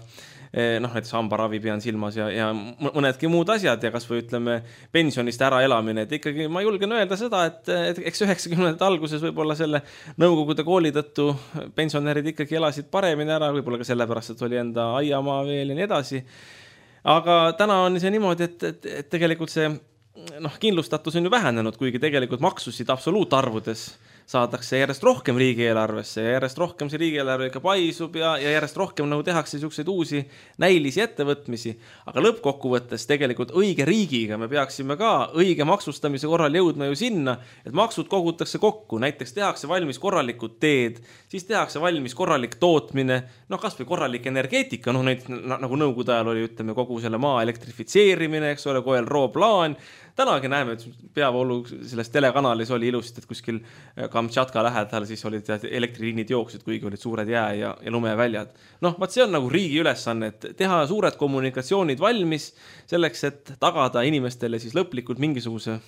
näiteks hambaravi pean silmas ja mõnedki muud asjad ja kas või ütleme pensionist ära elamine, et ikkagi ma julgen öelda seda, et eks 90. alguses võib-olla selle nõukogude kooli tõttu pensionärid ikkagi elasid paremini ära, võib-olla ka sellepärast, et oli enda aiamaa veel ja nii edasi. Aga täna on see niimoodi, et tegelikult see kindlustatus on ju vähenenud, kuigi tegelikult maksusid absoluutarvudes saadakse järjest rohkem riigieelarvesse ja järjest rohkem see riigieelarve ikka paisub ja järjest rohkem nagu tehakse niisuguseid uusi näilisi ettevõtmisi. Aga lõppkokkuvõttes tegelikult õige riigiga me peaksime ka õige maksustamise korral jõudma ju sinna, et maksud kogutakse kokku, näiteks tehakse valmis korralikud teed, siis tehakse valmis korralik tootmine, kas või korralik energeetika, nagu nõukogude ajal oli, ütleme, kogu selle maa elektrifitseerimine, eks ole, KLRO plaan. Tänagi näeme, et peavoolu selles telekanalis oli ilusti, et kuskil Kamtšatka lähedal siis olid elektriliinid jooksid, kuigi olid suured jää ja lumeväljad. Vaat see on nagu riigi ülesanne, et teha suured kommunikatsioonid valmis selleks, et tagada inimestele siis lõplikult mingisuguse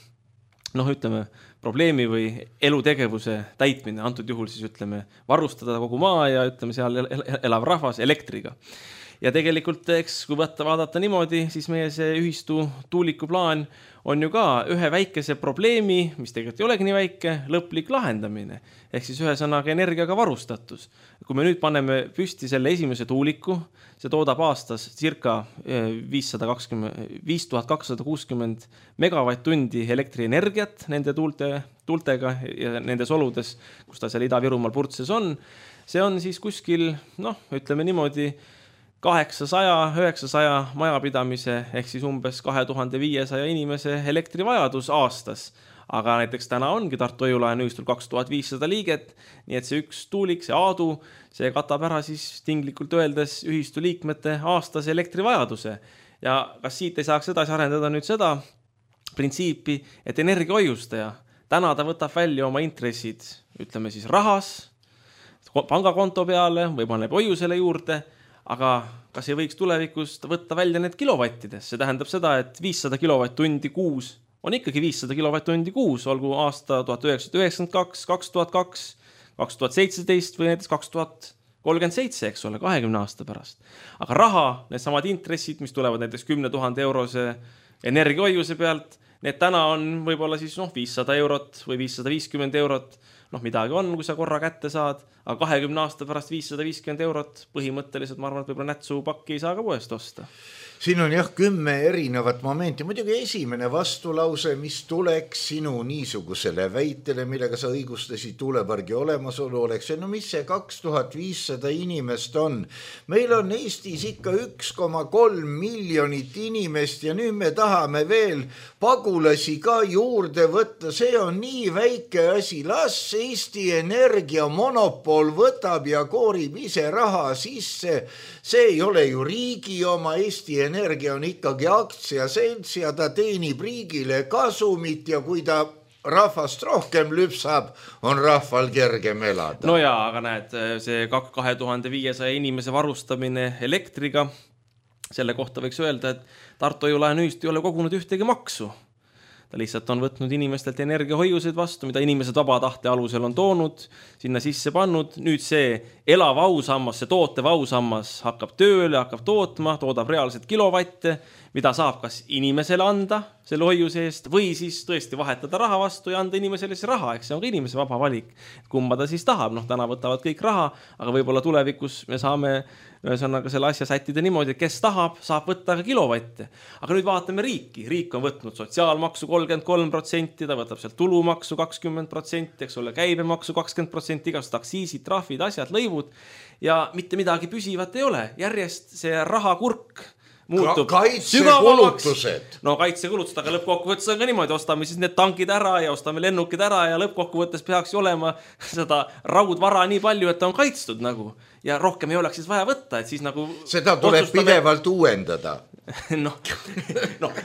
ütleme, probleemi või elutegevuse täitmine, antud juhul siis ütleme, varustada kogu maa ja ütleme, seal elav rahvas elektriga. Ja tegelikult, eks kui vaadata niimoodi, siis meie see ühistu tuulikuplaan on ju ka ühe väikese probleemi, mis tegelikult ei olegi nii väike, lõplik lahendamine. Ehk siis ühesõnaga energiaga varustatus. Kui me nüüd paneme püsti selle esimese tuuliku, see toodab aastas circa 5260 megavatt-tundi elektrienergiat nende tuultega ja nendes oludes, kus ta seal Ida-Virumaal Purtses on. See on siis kuskil, ütleme niimoodi, 800-900 majapidamise ehk siis umbes 2500 inimese elektrivajadus aastas. Aga näiteks täna ongi Tartu Hoiu-Lahe ühistul 2500 liiget, nii et see üks tuulik, see Aadu, see katab ära siis tinglikult öeldes ühistu liikmete aastase elektrivajaduse. Ja kas siit ei saaks edasi arendada nüüd seda printsiipi, et energiahoiustaja, täna ta võtab välja oma intressid, ütleme siis rahas, pangakonto peale või paneb hoiusele juurde, aga kas ei võiks tulevikus võtta välja need kilovattides? See tähendab seda, et 500 kilovatt-tundi kuus on ikkagi 500 kilovatt-tundi kuus, olgu aasta 1992, 2002, 2017 või näiteks 2037, eks ole, 20 aasta pärast. Aga raha, need samad intressid, mis tulevad näiteks 10 000 eurose energiahoiuse pealt, need täna on võib-olla siis 500 eurot või 550 eurot, midagi on, kui sa korra kätte saad, aga 20 aasta pärast 550 eurot põhimõtteliselt, ma arvan, et võib-olla nätsupakki ei saa ka poest osta. Siin on 10 erinevat momenti. Muidugi esimene vastulause, mis tuleks sinu niisugusele väitele, millega sa õigustasid tuulepargi olemasolu, oleks see, mis see 2500 inimest on? Meil on Eestis ikka 1,3 miljonit inimest ja nüüd me tahame veel pagulasi ka juurde võtta. See on nii väike asi. Las Eesti Energia monopol võtab ja koorib ise raha sisse. See ei ole ju riigi oma. Eesti Energia on ikkagi aktsiaselts ja ta teenib riigile kasumit ja kui ta rahvast rohkem lüpsab, on rahval kergem elada. No jaa, aga näed, see 2500 inimese varustamine elektriga, Selle kohta võiks öelda, et Tartu Hoiu-laenuühistu ei ole kogunud ühtegi maksu. Ta lihtsalt on võtnud inimestelt energiahoiuseid vastu, mida inimesed vaba tahte alusel on toonud, sinna sisse pannud. Nüüd see elav ausammas, see tootev ausammas hakkab tööle, hakkab tootma, toodab reaalselt kilovatte, mida saab kas inimesele anda selle hoiuse eest või siis tõesti vahetada raha vastu ja anda inimesele see raha, eks see on ka inimese vaba valik. Kumma ta siis tahab, täna võtavad kõik raha, aga võib-olla tulevikus me saame ühesõnaga selle asja sättida niimoodi, et kes tahab, saab võtta ka kilovatte. Aga nüüd vaatame riiki. Riik on võtnud sotsiaalmaksu 33%, ta võtab sealt tulumaksu 20%, eks ole, käibemaksu 20%, igasugused aktsiisid, trahvid, asjad, lõivud ja mitte midagi püsivat ei ole. Järjest see rahakurk muutub kaitsekulutused. No kaitsekulutused, aga lõppkokkuvõttes on ka niimoodi, ostame siis need tankid ära ja ostame lennukid ära ja lõppkokkuvõttes peaks olema seda raudvara nii palju, et on kaitstud nagu ja rohkem ei oleks siis vaja võtta, et siis nagu seda tuleb pidevalt uuendada.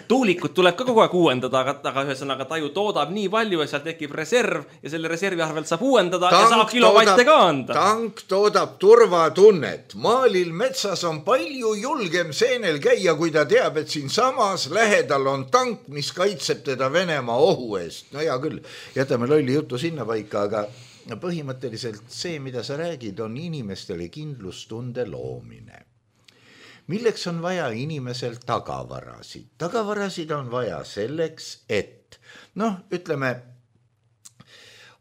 Tuulikut tuleb ka kogu aeg uuendada, aga ühesõnaga ta ju toodab nii palju ja seal tekib reserv ja selle reservi arvelt saab uuendada ja saab kilovatte ka anda. Tank toodab turvatunnet. Maalil metsas on palju julgem seenel käia, kui ta teab, et siin samas lähedal on tank, mis kaitseb teda Venemaa ohu eest. No hea küll, jätame lolli jutu sinna paika, aga põhimõtteliselt see, mida sa räägid, on inimestele kindlustunde loomine. Milleks on vaja inimesel tagavarasid? Tagavarasid on vaja selleks, et ütleme,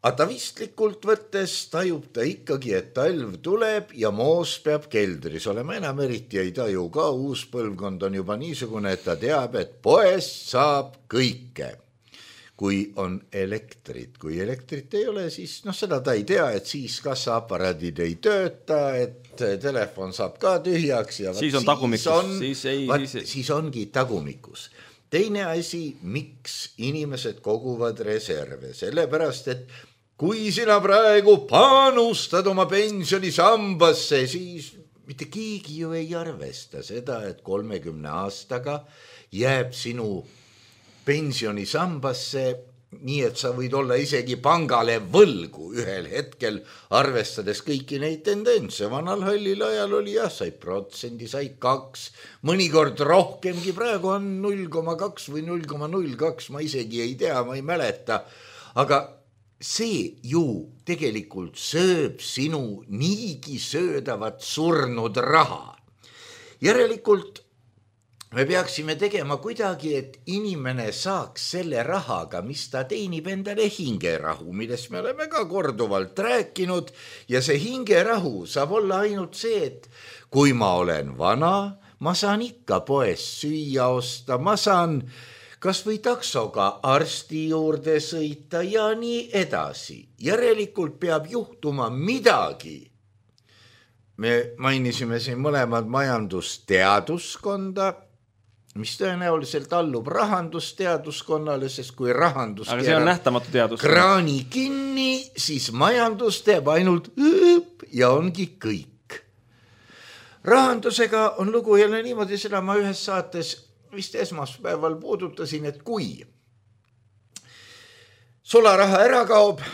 atavistlikult võttes tajub ta ikkagi, et talv tuleb ja moos peab keldris olema. Enam eriti ei taju ka, uus põlvkond on juba niisugune, et ta teab, et poest saab kõike. Kui on elektrit. Kui elektrit ei ole, siis seda ta ei tea, et siis kassaaparaadid ei tööta, et telefon saab ka tühjaks. Ja siis on tagumikus. Siis ongi tagumikus. Teine asi, miks inimesed koguvad reserve? Sellepärast, et kui sina praegu panustad oma pensionisambasse, siis mitte keegi ju ei arvesta seda, et 30 aastaga jääb sinu pensionisambasse, nii et sa võid olla isegi pangale võlgu ühel hetkel, arvestades kõiki neid tendentse. Vanal hallil ajal oli sai 1%, sai 2%, mõnikord rohkemgi, praegu on 0,2 või 0,02, ma isegi ei tea, ma ei mäleta. Aga see ju tegelikult sööb sinu niigi söödavat surnud raha. Järelikult me peaksime tegema kuidagi, et inimene saaks selle rahaga, mis ta teenib endale hingerahu, millest me oleme ka korduvalt rääkinud ja see hingerahu saab olla ainult see, et kui ma olen vana, ma saan ikka poest süüa osta, ma saan kas või taksoga arsti juurde sõita ja nii edasi. Järelikult peab juhtuma midagi. Me mainisime siin mõlemad majandusteaduskonda, mis tõenäoliselt allub rahandusteaduskonnale, sest kui rahandus aga see on nähtamatu teadus. Kraani kinni, siis majandus teeb ainult ja ongi kõik. Rahandusega on lugu jälle niimoodi, seda ma ühes saates vist esmaspäeval puudutasin, et kui sularaha ära kaob,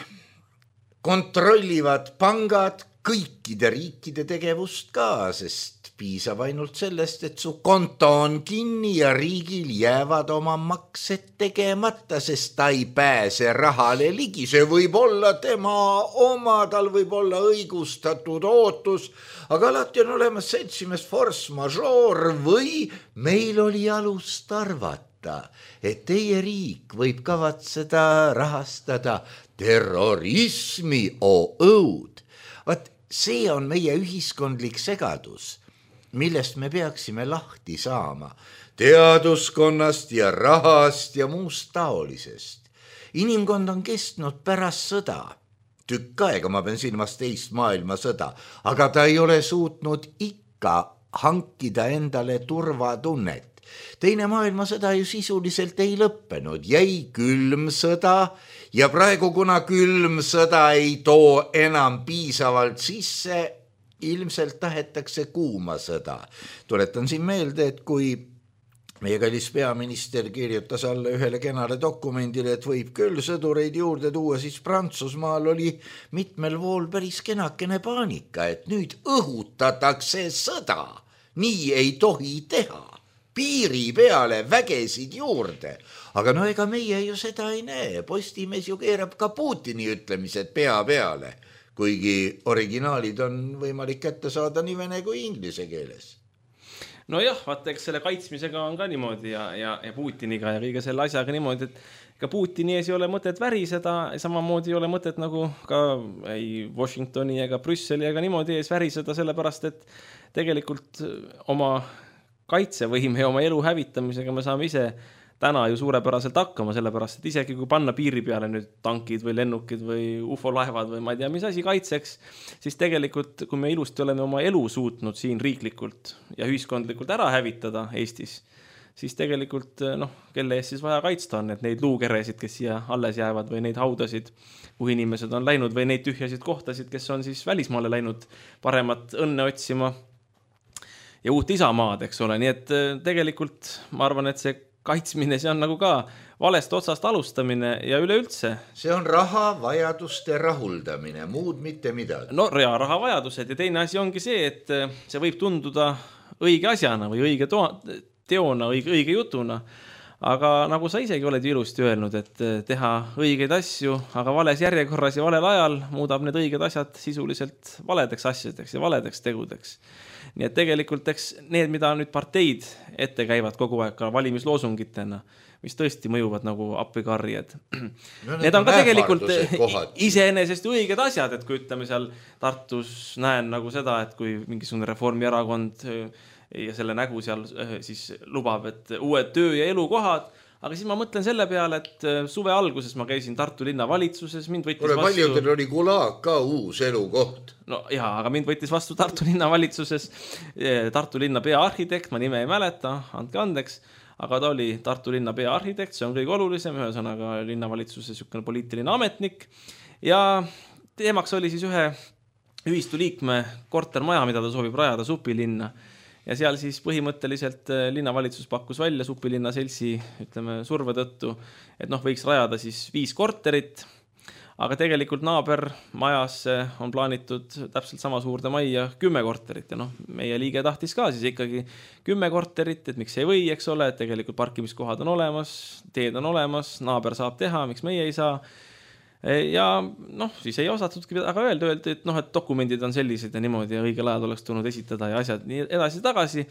kontrollivad pangad kõikide riikide tegevust ka, sest piisab ainult sellest, et su konto on kinni ja riigil jäävad oma maksed tegemata, sest ta ei pääse rahale ligi. See võib olla tema oma, tal võib olla õigustatud ootus, aga alati on olemas seltsimees force majeure või meil oli alust arvata, et teie riik võib kavatseda rahastada terrorismi õud. Vaat see on meie ühiskondlik segadus, millest me peaksime lahti saama, teaduskonnast ja rahast ja muust taolisest. Inimkond on kestnud pärast sõda, tükk aega, ma pean silmas teist maailmasõda, aga ta ei ole suutnud ikka hankida endale turvatunnet. Teine maailmasõda ju sisuliselt ei lõppenud, jäi külm sõda ja praegu, kuna külm sõda ei too enam piisavalt sisse, ilmselt tahetakse kuuma sõda. Tuletan siin meelde, et kui meie kallis peaminister kirjutas alla ühele kenale dokumendile, et võib küll sõdureid juurde tuua, siis Prantsusmaal oli mitmel pool päris kenakene paanika, et nüüd õhutatakse sõda. nii ei tohi teha. Piiri peale vägesid juurde. Aga no ega meie ju seda ei näe. Postimees ju keerab ka Putini ütlemised pea peale, kuigi originaalid on võimalik kätte saada nii vene kui inglise keeles. No jah, vaata, eks selle kaitsmisega on ka niimoodi ja Putiniga ja kõige selle asjaga niimoodi, et ka Putini ees ei ole mõtet väriseda, samamoodi ei ole mõtet nagu ka ei Washingtoni ega Brüsseli ega niimoodi ees väriseda, sellepärast, et tegelikult oma kaitsevõime ja oma elu hävitamisega me saame ise täna ju suurepäraselt hakkama, sellepärast, et isegi kui panna piiri peale nüüd tankid või lennukid või ufolaevad või ma ei tea, mis asi kaitseks, siis tegelikult, kui me ilusti oleme oma elu suutnud siin riiklikult ja ühiskondlikult ära hävitada Eestis, siis tegelikult, kelle eest siis vaja kaitsta on, et neid luukeresid, kes siia alles jäävad või neid haudasid, kuhu inimesed on läinud või neid tühjasid kohtasid, kes on siis välismaale läinud paremat õnne otsima ja uut isamaad, eks ole. Nii et tegelikult ma arvan, et see kaitsmine, see on nagu ka valest otsast alustamine ja üleüldse. See on raha vajaduste rahuldamine, muud mitte midagi. No raha vajadused ja teine asi ongi see, et see võib tunduda õige asjana või õige teona, õige jutuna. Aga nagu sa isegi oled ilusti öelnud, et teha õigeid asju, aga vales järjekorras ja valel ajal muudab need õiged asjad sisuliselt valedeks asjadeks ja valedeks tegudeks. Nii et tegelikult need, mida nüüd parteid ette käivad kogu aeg ka valimisloosungitena, mis tõesti mõjuvad nagu appikarjed. No, need on ka tegelikult iseenesest õiged asjad, et kui ütleme seal Tartus näen nagu seda, et kui mingisugune Reformierakond ja selle nägu seal siis lubab, et uued töö- ja elukohad, aga siis ma mõtlen selle peale, et suve alguses ma käisin Tartu linna valitsuses, mind võttis vastu... Paljudel oli Gulag ka uus elukoht. No jaa, aga mind võttis vastu Tartu linna valitsuses Tartu linna peaarhitekt, ma nime ei mäleta, andke andeks, aga ta oli Tartu linna peaarhitekt, see on kõige olulisem, ühesõnaga linnavalitsuses niisugune poliitiline ametnik ja teemaks oli siis ühe ühistu liikme kortermaja, mida ta soovib rajada Supilinna. Ja seal siis põhimõtteliselt linnavalitsus pakkus välja Supilinna seltsi, ütleme, surve tõttu, et võiks rajada siis 5 korterit, aga tegelikult naabermajas on plaanitud täpselt sama suurde majja 10 korterit ja meie liige tahtis ka siis ikkagi 10 korterit, et miks ei või, eks ole, et tegelikult parkimiskohad on olemas, teed on olemas, naaber saab teha, miks meie ei saa. Ja siis ei osatudki aga öeldi, et dokumendid on sellised ja niimoodi ja õigel ajal oleks tulnud esitada ja asjad nii edasi tagasi.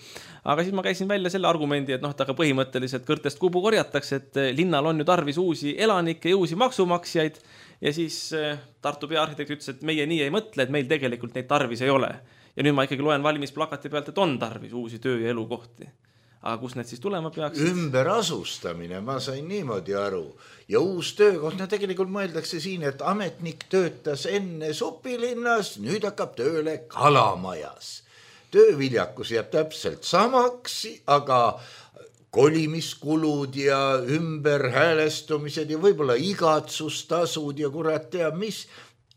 Aga siis ma käisin välja selle argumendi, et aga põhimõtteliselt kõrtest kubu korjatakse, et linnal on ju tarvis uusi elanikke ja uusi maksumaksjaid ja siis Tartu peaarhitekt ütles, et meie nii ei mõtle, et meil tegelikult neid tarvis ei ole. Ja nüüd ma ikkagi loen valimisplakati pealt, et on tarvis uusi töö- ja elukohti. Aga kus need siis tulema peaks? Ümberasustamine, ma sain niimoodi aru. Ja uus töökoht, tegelikult mõeldakse siin, et ametnik töötas enne Supilinnas, nüüd hakkab tööle Kalamajas. Tööviljakus jääb täpselt samaks, aga kolimiskulud ja ümberhäälestumised ja võib-olla igatsustasud ja kurat teab mis,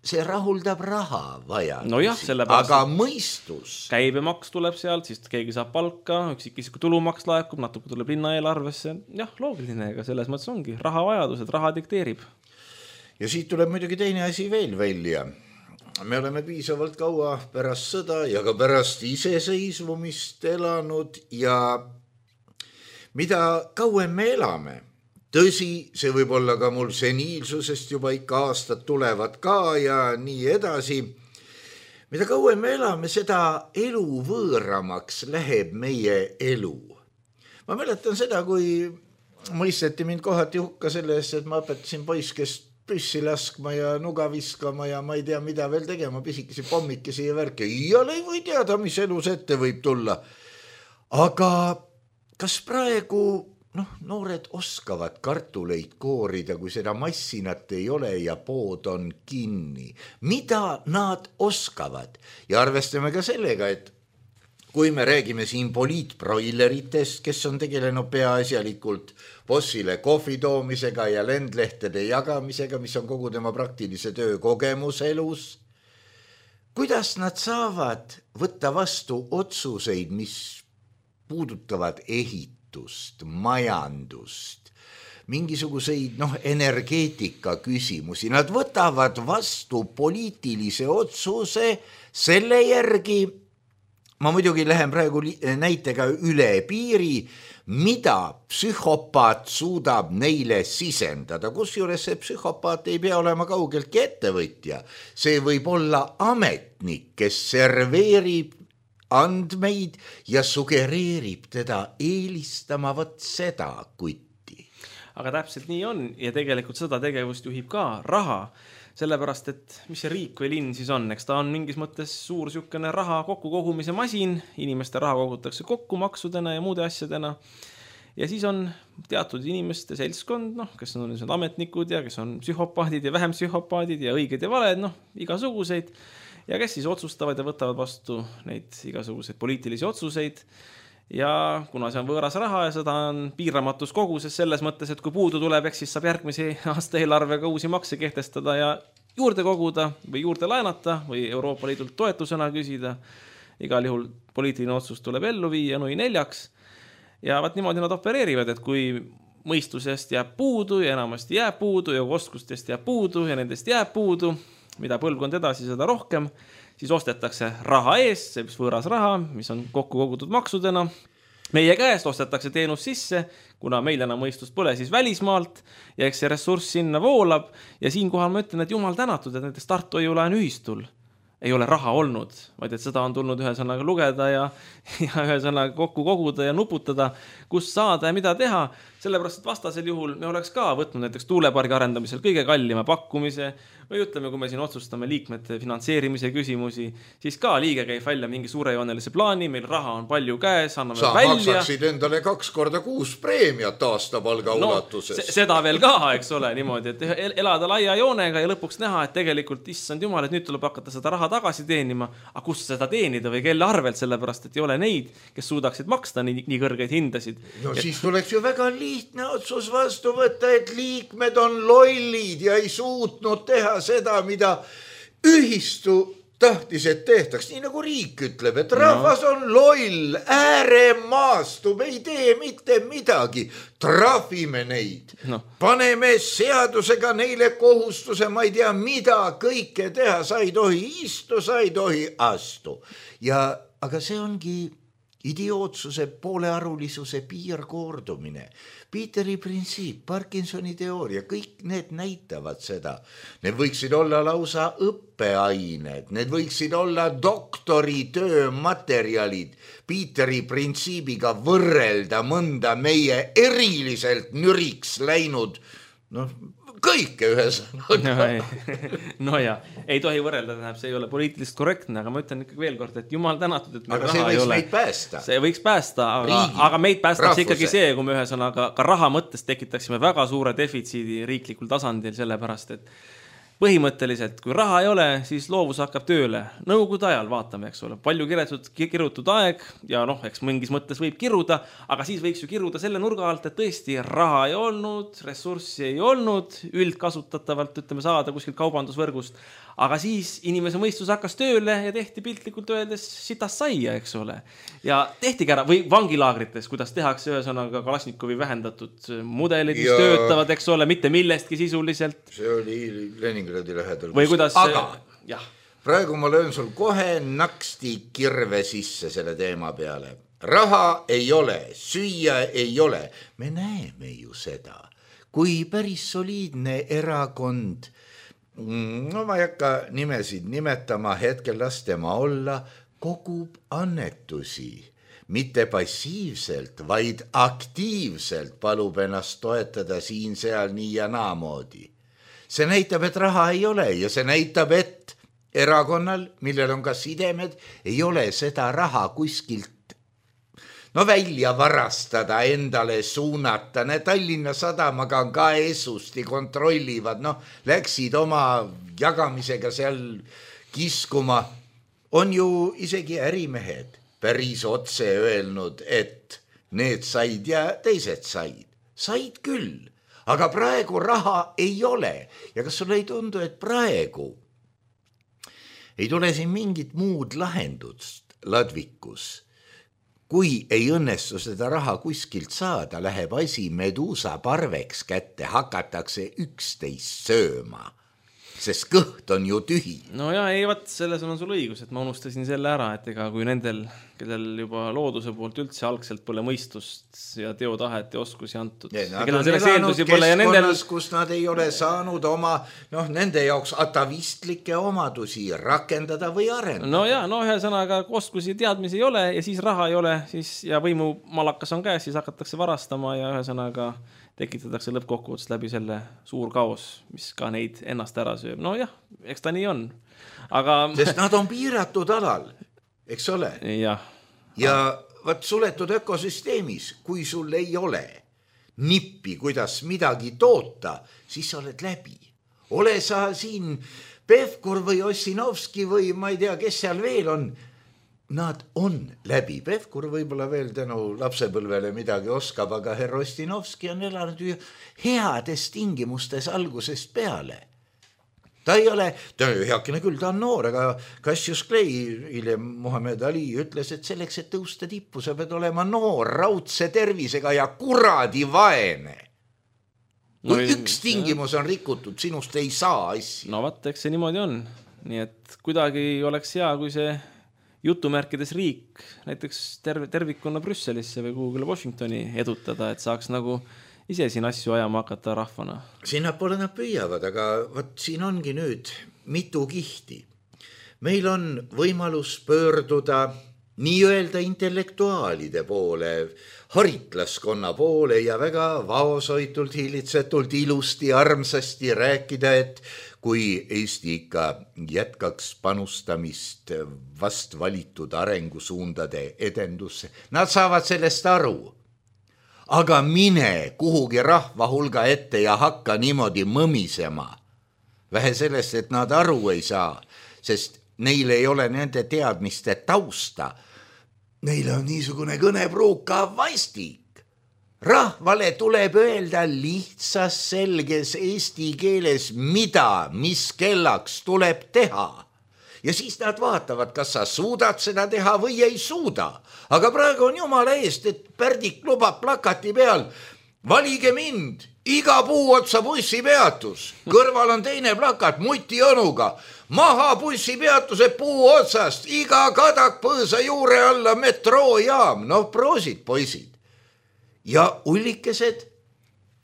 see rahuldab raha vaja. No jah, sellepärast. Aga mõistus. Käibemaks tuleb sealt, siis keegi saab palka, üksikisiku tulumaks laekub, natuke tuleb linna eelarvesse. Jah, loogiline, ega selles mõttes ongi. Raha vajadused, raha dikteerib. Ja siit tuleb muidugi teine asi veel välja. Me oleme piisavalt kaua pärast sõda ja ka pärast iseseisvumist elanud ja mida kauem me elame, tõsi, see võib olla ka mul seniilsusest juba ikka aastad tulevad ka ja nii edasi. Mida kauem me elame, seda elu võõramaks läheb meie elu. Ma mäletan seda, kui mõisteti mind kohati hukka selle eest, et ma õpetasin poiskest püssi laskma ja nuga viskama ja ma ei tea, mida veel tegema, pisikesi pommikesi ja värke. Iial ei või teada, mis elus ette võib tulla. Aga kas praegu... noored oskavad kartuleid koorida, kui seda massinat ei ole ja pood on kinni. Mida nad oskavad? Ja arvestame ka sellega, et kui me räägime siin poliitbroileritest, kes on tegelenud peaasjalikult bossile kohvi toomisega ja lendlehtede jagamisega, mis on kogu tema praktilise töö kogemus elus, kuidas nad saavad võtta vastu otsuseid, mis puudutavad majandust, mingisuguseid energeetika küsimusi. Nad võtavad vastu poliitilise otsuse selle järgi, ma muidugi lähen praegu näitega üle piiri, mida psühhopaat suudab neile sisendada, kusjuures see psühhopaat ei pea olema kaugeltki ettevõtja. See võib olla ametnik, kes serveerib andmeid ja sugereerib teda eelistama vot seda kutti. Aga täpselt nii on ja tegelikult seda tegevust juhib ka raha. Sellepärast, et mis see riik või linn siis on, eks ta on mingis mõttes suur sükene raha kokku kogumise masin, inimeste raha kogutakse kokku maksudena ja muude asjadena. Ja siis on teatud inimeste seltskond, kes on ametnikud ja kes on psühhopaadid ja vähem psühhopaadid ja õiged ja valed, igasuguseid. Ja kes siis otsustavad ja võtavad vastu neid igasuguseid poliitilisi otsuseid. Ja kuna see on võõras raha ja seda on piiramatus koguses selles mõttes, et kui puudu tuleb, eks siis saab järgmise aasta eelarvega uusi makse kehtestada ja juurde koguda või juurde laenata või Euroopa Liidult toetusena küsida. Igal juhul poliitiline otsus tuleb ellu viia nui 4. Ja vaat niimoodi nad opereerivad, et kui mõistusest jääb puudu ja enamasti jääb puudu ja oskustest jääb puudu ja nendest jääb puudu, mida põlvkond edasi seda rohkem, siis ostetakse raha eest, see võõras raha, mis on kokku kogutud maksudena. Meie käest ostetakse teenus sisse, kuna meil enam mõistust pole, siis välismaalt ja eks see ressurss sinna voolab. Ja siinkohal ma ütlen, et jumal tänatud, et näiteks Tartu Hoiulaen ühistul ei ole raha olnud, vaid et seda on tulnud ühesõnaga lugeda ja ühesõnaga kokku koguda ja nuputada, kus saada ja mida teha. Sellepärast, et vastasel juhul me oleks ka võtnud näiteks tuulepargi arendamisel kõige kallima pakkumise või ütleme, kui me siin otsustame liikmete finantseerimise küsimusi, siis ka liige käib välja mingi suurejoonelise plaani, meil raha on palju käes, anname sa välja. Sa maksaksid endale 2 korda 6 preemiat aastapalga ulatuses. Seda veel ka, eks ole, niimoodi, et elada laia joonega ja lõpuks näha, et tegelikult issand jumal, et nüüd tuleb hakata seda raha tagasi teenima, aga kus seda teenida või kelle arvelt, sellepärast, et ei ole neid, kes suudaksid maksta nii kõrgeid hindasid. Siis tuleks ju väga lihtne otsus vastu võtta, et liikmed on lollid ja ei suutnud teha seda, mida ühistu tahtis, et tehtaks. Nii nagu riik ütleb, et rahvas on loll, ääremaastub, ei tee mitte midagi. Trahvime neid. Paneme seadusega neile kohustuse, ma ei tea, mida kõike teha. Sa ei tohi istu, sa ei tohi astu. Aga see ongi idiootsuse, poolearulisuse piirkordumine. Peteri printsiip, Parkinsoni teooria, kõik need näitavad seda. Need võiksid olla lausa õppeained, need võiksid olla doktoritöö materjalid. Peteri printsiibiga võrrelda mõnda meie eriliselt nüriks läinud, kõike ühesõnaga. No ja, ei tohi võrrelda, see ei ole poliitilist korrektne, aga ma ütlen ikkagi veel kord, et jumal tänatud, et meil aga raha ei ole. Aga see võiks meid päästa. See võiks päästa, aga meid päästaks ikkagi see, kui me ühesõnaga ka raha mõttes tekitaksime väga suure defitsiidi riiklikul tasandil, sellepärast, et põhimõtteliselt, kui raha ei ole, siis loovus hakkab tööle. Nõukogude ajal vaatame, eks ole, palju kirutud aeg ja eks mingis mõttes võib kiruda, aga siis võiks ju kiruda selle nurga alt, et tõesti raha ei olnud, ressurssi ei olnud, üldkasutatavalt ütleme saada kuskilt kaubandusvõrgust, aga siis inimese mõistus hakkas tööle ja tehti piltlikult öeldes sitas saia, eks ole. Ja tehtigi ära, või vangilaagrites, kuidas tehakse ühesõnaga Kalasnikovi vähendatud mudelid, mis töötavad, eks ole, mitte millestki sisuliselt. See oli Leningradi lähedal. Või kuidas... Aga praegu ma löön sul kohe naksti kirve sisse selle teema peale. Raha ei ole, süüa ei ole. Me näeme ju seda, kui päris soliidne erakond, ma ei hakka nimesid nimetama, hetkel las tema olla, kogub annetusi. Mitte passiivselt, vaid aktiivselt palub ennast toetada siin, seal, nii ja naamoodi. See näitab, et raha ei ole ja see näitab, et erakonnal, millel on ka sidemed, ei ole seda raha kuskilt välja varastada, endale suunata. Tallinna Sadamaga on ka esusti kontrollivad, läksid oma jagamisega seal kiskuma. On ju isegi ärimehed päris otse öelnud, et need said ja teised said. Said küll, aga praegu raha ei ole. Ja kas sulle ei tundu, et praegu ei tule siin mingit muud lahendust Ladvikus? Kui ei õnnestu seda raha kuskilt saada, läheb asi Medusa parveks kätte, hakatakse 11 sööma. sest kõht on ju tühi. No ja ei, vaat selles on sul õigus, et ma unustasin selle ära, et ega kui nendel, kellel juba looduse poolt üldse algselt pole mõistust ja teotahet ja oskusi antud. Nad on elanud keskkonnas, kus nad ei ole saanud oma, nende jaoks atavistlikke omadusi rakendada või arendada. No ja, ühesõnaga oskusi teadmisi ei ole ja siis raha ei ole, siis ja võimu malakas on käes, siis hakatakse varastama ja ühesõnaga tekitatakse lõppkokkuvõttes läbi selle suur kaos, mis ka neid ennast ära sööb. No jah, eks ta nii on. Aga... Sest nad on piiratud alal, eks ole? Jah. Ja võt suletud ökosüsteemis, kui sul ei ole nippi, kuidas midagi toota, siis sa oled läbi. Ole sa siin Pevkur või Ossinovski või ma ei tea, kes seal veel on. Nad on läbi. Pevkur võib-olla veel tänu lapsepõlvele midagi oskab, aga herr Ossinovski on elanud ju heades tingimustes algusest peale. Ta ei ole, heakene küll, ta on noor, aga Cassius Clay, hiljem Muhamed Ali ütles, et selleks, et tõusta tippu, sa pead olema noor, raudse tervisega ja kuradi vaene. Kui üks tingimus on rikutud, sinust ei saa asja. No vaat, eks see niimoodi on. Nii et kuidagi oleks hea, kui see jutumärkides riik näiteks tervikuna Brüsselisse või Google Washingtoni edutada, et saaks nagu ise siin asju ajama hakata rahvana. Sinnapoole nad püüavad, aga võt siin ongi nüüd mitu kihti. Meil on võimalus pöörduda nii-öelda intellektuaalide poole, haritlaskonna poole ja väga vaosoitult, hiilitsetult, ilusti, armsasti rääkida, et kui Eesti ikka jätkaks panustamist vast valitud arengusuundade edendusse, nad saavad sellest aru. Aga mine kuhugi rahva hulga ette ja hakka niimoodi mõmisema. Vähe sellest, et nad aru ei saa, sest neil ei ole nende teadmiste tausta. Neil on niisugune kõnepruuka vastik. Rahvale tuleb öelda lihtsas selges eesti keeles, mis kellaks tuleb teha. Ja siis nad vaatavad, kas sa suudad seda teha või ei suuda. Aga praegu on jumala eest, et Pärdik lubab plakati peal. Valige mind, iga puu otsa bussipeatus. Kõrval on teine plakat Muti onuga. Maha bussipeatuse puu otsast, iga kadak põõsa juure alla metroojaam. Proosid, poisid. Ja ullikesed,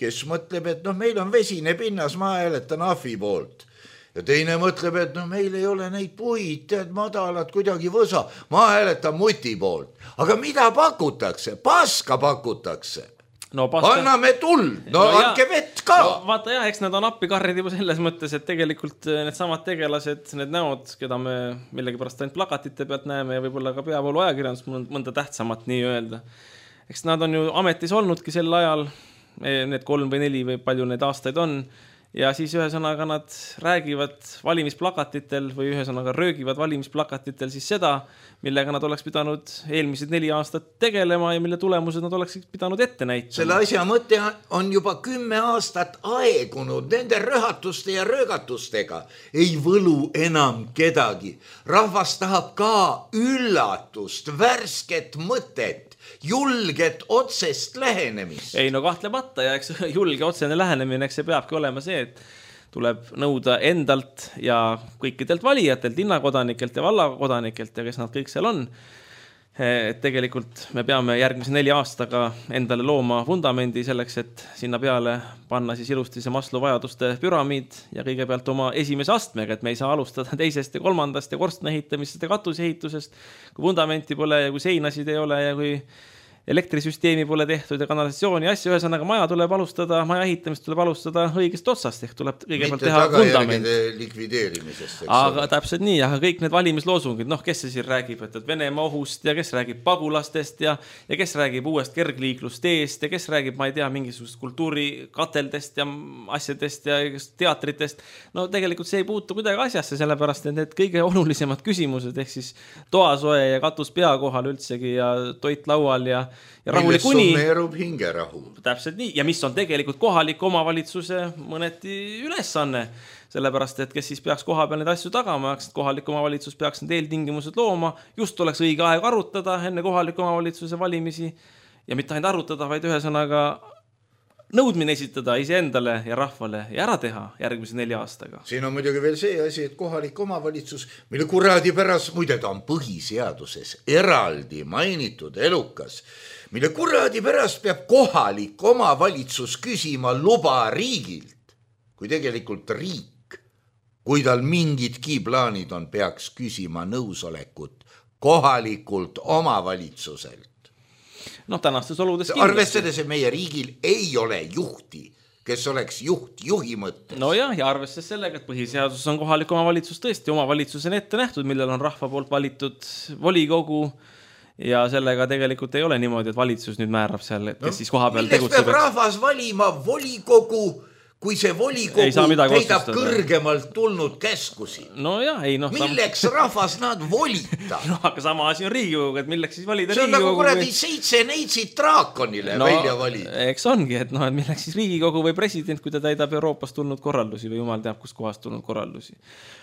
kes mõtleb, et meil on vesine pinnas, ma hääletan ahvi poolt. Ja teine mõtleb, et meil ei ole neid puid, tead madalad kuidagi võsa, ma hääletan Muti poolt. Aga mida pakutakse? Paska pakutakse. Anname tuld, andke vett ka. Vaata jah, eks nad on appikarrid juba selles mõttes, et tegelikult need samad tegelased, need näod, keda me millegipärast ainult plakatite pealt näeme ja võib-olla ka peavoolu ajakirjandus mõnda tähtsamat nii öelda. Eks nad on ju ametis olnudki sel ajal, need 3 või 4 või palju need aastaid on, ja siis ühesõnaga nad räägivad valimisplakatitel või ühesõnaga röögivad valimisplakatitel siis seda, millega nad oleks pidanud eelmised 4 aastat tegelema ja mille tulemused nad oleksid pidanud ette näitama. Selle asja mõte on juba 10 aastat aegunud, nende röhatuste ja röögatustega ei võlu enam kedagi. Rahvas tahab ka üllatust, värsket mõtet, julget otsest lähenemist. Ei kahtlemata ja eks julge otsene lähenemine, eks see peabki olema see, et tuleb nõuda endalt ja kõikidelt valijatelt, linnakodanikelt ja vallakodanikelt ja kes nad kõik seal on. Et tegelikult me peame järgmise 4 aastaga endale looma vundamendi selleks, et sinna peale panna siis ilusti see Maslow vajaduste püramiid ja kõigepealt oma esimese astmega, et me ei saa alustada 2. ja 3. ja korstna ehitamisest ja katuseehitusest, kui vundamenti pole ja kui seinasid ei ole ja kui elektrisüsteemi pole tehtud ja kanalisatsiooni asja, ühesõnaga maja tuleb alustada, maja ehitamist tuleb alustada õigest otsast, ehk tuleb kõigepealt teha vundament. Likvideerimisest. Aga täpselt nii, aga kõik need valimisloosungid, kes see siin räägib, et Venemaa ohust ja kes räägib pagulastest ja kes räägib uuest kergliiklusteest ja kes räägib, ma ei tea, mingisugust kultuurikateldest ja asjadest ja teatritest. No tegelikult see ei puutu kuidagi asjasse, sellepärast, et need kõige olulisemad küsimused, ehk siis toasoe ja katus pea kohal üldsegi ja toit laual ja millest summeerub hingerahu. Täpselt nii, ja mis on tegelikult kohaliku omavalitsuse mõneti ülesanne, sellepärast, et kes siis peaks koha peal need asju tagama, kohalik omavalitsus peaks need eeltingimused looma, just oleks õige aeg arutada enne kohaliku omavalitsuse valimisi ja mitte ainult arutada, vaid ühesõnaga nõudmine esitada iseendale ja rahvale ja ära teha järgmise 4 aastaga. Siin on muidugi veel see asi, et kohalik omavalitsus, mille kuradi pärast, muide ta on põhiseaduses eraldi mainitud elukas, mille kuradi pärast peab kohalik omavalitsus küsima luba riigilt, kui tegelikult riik, kui tal mingidki plaanid on, peaks küsima nõusolekut kohalikult omavalitsuselt. Noh, tänastes oludes arvestades, et meie riigil ei ole juhti, kes oleks juhi mõttes. No ja arvestades sellega, et põhiseaduses on kohalik omavalitsus tõesti omavalitsusena ette nähtud, millel on rahva poolt valitud volikogu ja sellega tegelikult ei ole niimoodi, et valitsus nüüd määrab seal, et kes siis koha peal tegutseb. Peab rahvas valima volikogu, kui see volikogu täidab kõrgemalt tulnud käskusi. No jah, ei noh. Milleks rahvas nad volita? No aga sama asi on Riigikogu, et milleks siis valida Riigikogu? See on Riigikogu, nagu kuradi 7 neitsid draakonile välja valida. Eks ongi, et noh, et milleks siis Riigikogu või president, kui ta täidab Euroopast tulnud korraldusi või jumal teab, kus kohast tulnud korraldusi.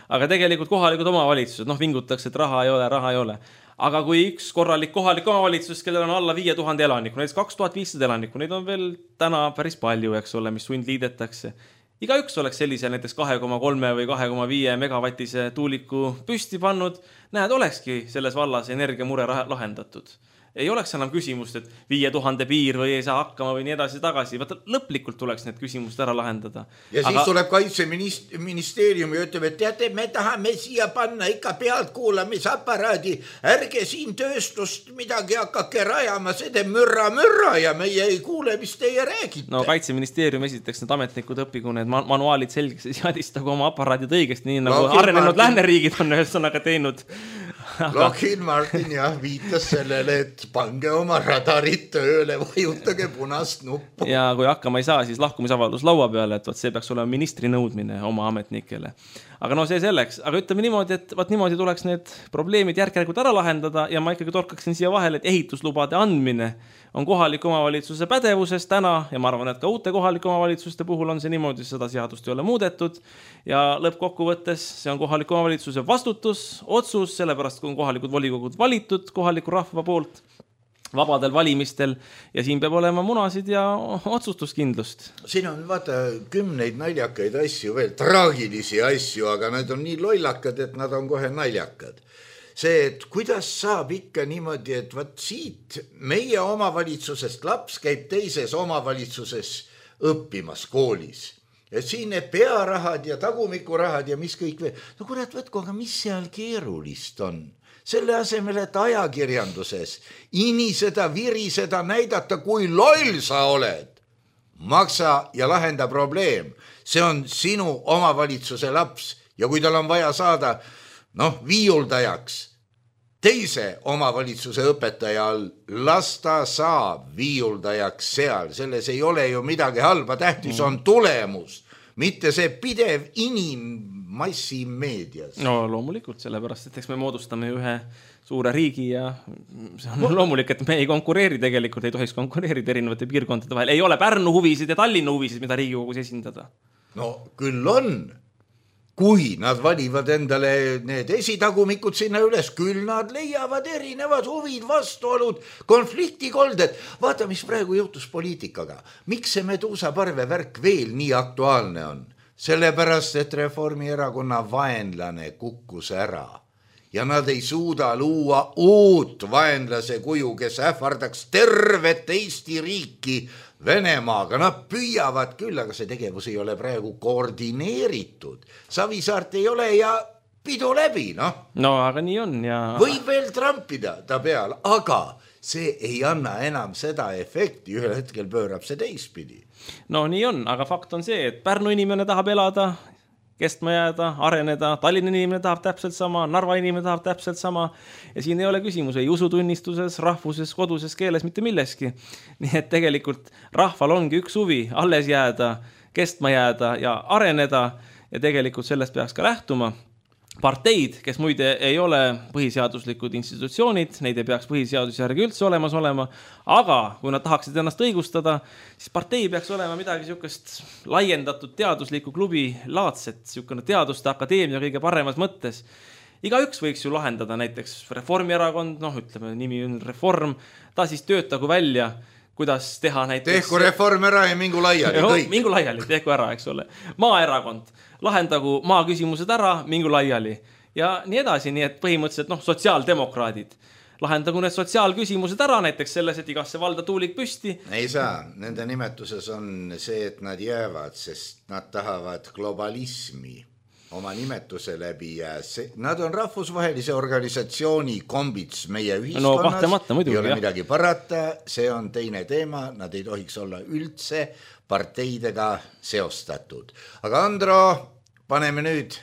Aga tegelikult kohalikud omavalitsused, noh vingutakse, et raha ei ole. Aga kui üks korralik kohalik omavalitsus, kellel on alla 5000 elanikku, näiteks 2500 elanikku, neid on veel täna päris palju, eks ole, mis sundliidetakse. Igaüks oleks sellise näiteks 2,3 või 2,5 megavatise tuuliku püsti pannud, näed, olekski selles vallas energiamure lahendatud. Ei oleks enam küsimust, et 5000 piir või ei saa hakkama või nii edasi tagasi. Vaata, lõplikult tuleks need küsimused ära lahendada. Ja siis tuleb kaitseministeerium ja ütleb, et teate, me tahame siia panna ikka pealtkuulamisaparaadi. Ärge siin tööstust midagi hakake rajama, see teeb mürra ja meie ei kuule, mis teie räägite. No kaitseministeerium esiteks need ametnikud õpigu need manuaalid selgeks ja seadistagu oma aparaadid õigesti, nii nagu arenenud lääneriigid on ühesõnaga teinud. Lockheed Martin jah viitas sellele, et pange oma radarid tööle, vajutage punast nuppu. Ja kui hakkama ei saa, siis lahkumisavaldus laua peale, et see peaks olema ministri nõudmine oma ametnikele. Aga no see selleks. Aga ütleme niimoodi, et niimoodi tuleks need probleemid järk-järgult ära lahendada ja ma ikkagi torkaksin siia vahele, et ehituslubade andmine on kohaliku omavalitsuse pädevuses täna ja ma arvan, et ka uute kohalike omavalitsuste puhul on see niimoodi, seda seadust ei ole muudetud ja lõppkokkuvõttes see on kohaliku omavalitsuse vastutus, otsus, sellepärast kui on kohalikud volikogud valitud kohaliku rahva poolt vabadel valimistel ja siin peab olema munasid ja otsustuskindlust. Siin on vaata 10 naljakaid asju veel, traagilisi asju, aga need on nii lollakad, et nad on kohe naljakad. See, et kuidas saab ikka niimoodi, et vaat siit meie omavalitsusest laps käib teises omavalitsuses õppimas koolis. Ja siin need pearahad ja tagumikurahad ja mis kõik veel. No kurat, võtku, aga mis seal keerulist on? Selle asemel, et ajakirjanduses iniseda, viriseda, näidata, kui loll sa oled. Maksa ja lahenda probleem. See on sinu omavalitsuse laps ja kui tal on vaja saada viiuldajaks teise omavalitsuse õpetaja all, las ta saab viiuldajaks seal. Selles ei ole ju midagi halba, tähtis on tulemus, mitte see pidev inimmassi meedias. No loomulikult, sellepärast, et eks me moodustame ühe suure riigi ja see on loomulik, et me ei konkureeri tegelikult, ei tohiks konkureerida erinevate piirkondade vahel. Ei ole Pärnu huvisid ja Tallinna huvisid, mida Riigikogus esindada. No küll on. Kui nad valivad endale need esitagumikud sinna üles, küll nad leiavad erinevad huvid, vastuolud, konfliktikolded. Vaata, mis praegu juhtus poliitikaga. Miks see Meduusaparve värk veel nii aktuaalne on? Sellepärast, et Reformierakonna vaenlane kukkus ära. Ja nad ei suuda luua uut vaenlase kuju, kes ähvardaks tervet Eesti riiki Venemaaga. Nad püüavad küll, aga see tegevus ei ole praegu koordineeritud. Savisaart ei ole ja pidu läbi, No, aga nii on ja... Võib veel trampida ta peal, aga see ei anna enam seda efekti. Ühel hetkel pöörab see teistpidi. No nii on, aga fakt on see, et Pärnu inimene tahab elada, kestma jääda, areneda, Tallinna inimene tahab täpselt sama, Narva inimene tahab täpselt sama ja siin ei ole küsimus ei usutunnistuses, rahvuses, koduses keeles, mitte milleski. Nii et tegelikult rahval ongi üks huvi alles jääda, kestma jääda ja areneda ja tegelikult sellest peaks ka lähtuma. Parteid, kes muide ei ole põhiseaduslikud institutsioonid, neid ei peaks põhiseaduse järgi üldse olemas olema, aga kui nad tahaksid ennast õigustada, siis partei peaks olema midagi niisugust laiendatud teadusliku klubi laadset, niisugune teaduste akadeemia kõige paremas mõttes. Igaüks võiks ju lahendada näiteks Reformierakond, ütleme nimi on Reform, ta siis töötagu välja kuidas teha näiteks... Tehku reform ära ja mingu laiali, kõik. Mingu laiali, tehku ära, eks ole. Maaerakond, lahendagu maa küsimused ära, mingu laiali. Ja nii edasi, nii et põhimõtteliselt sotsiaaldemokraadid. Lahendagu need sotsiaalküsimused ära, näiteks selles, et igasse valda tuulik püsti. Ei saa, nende nimetuses on see, et nad jäävad, sest nad tahavad globalismi oma nimetuse läbi ja nad on rahvusvahelise organisatsiooni kombits meie ühiskonnas. Muidugi, ei ole midagi parata, see on teine teema, nad ei tohiks olla üldse parteidega seostatud. Aga Andro, paneme nüüd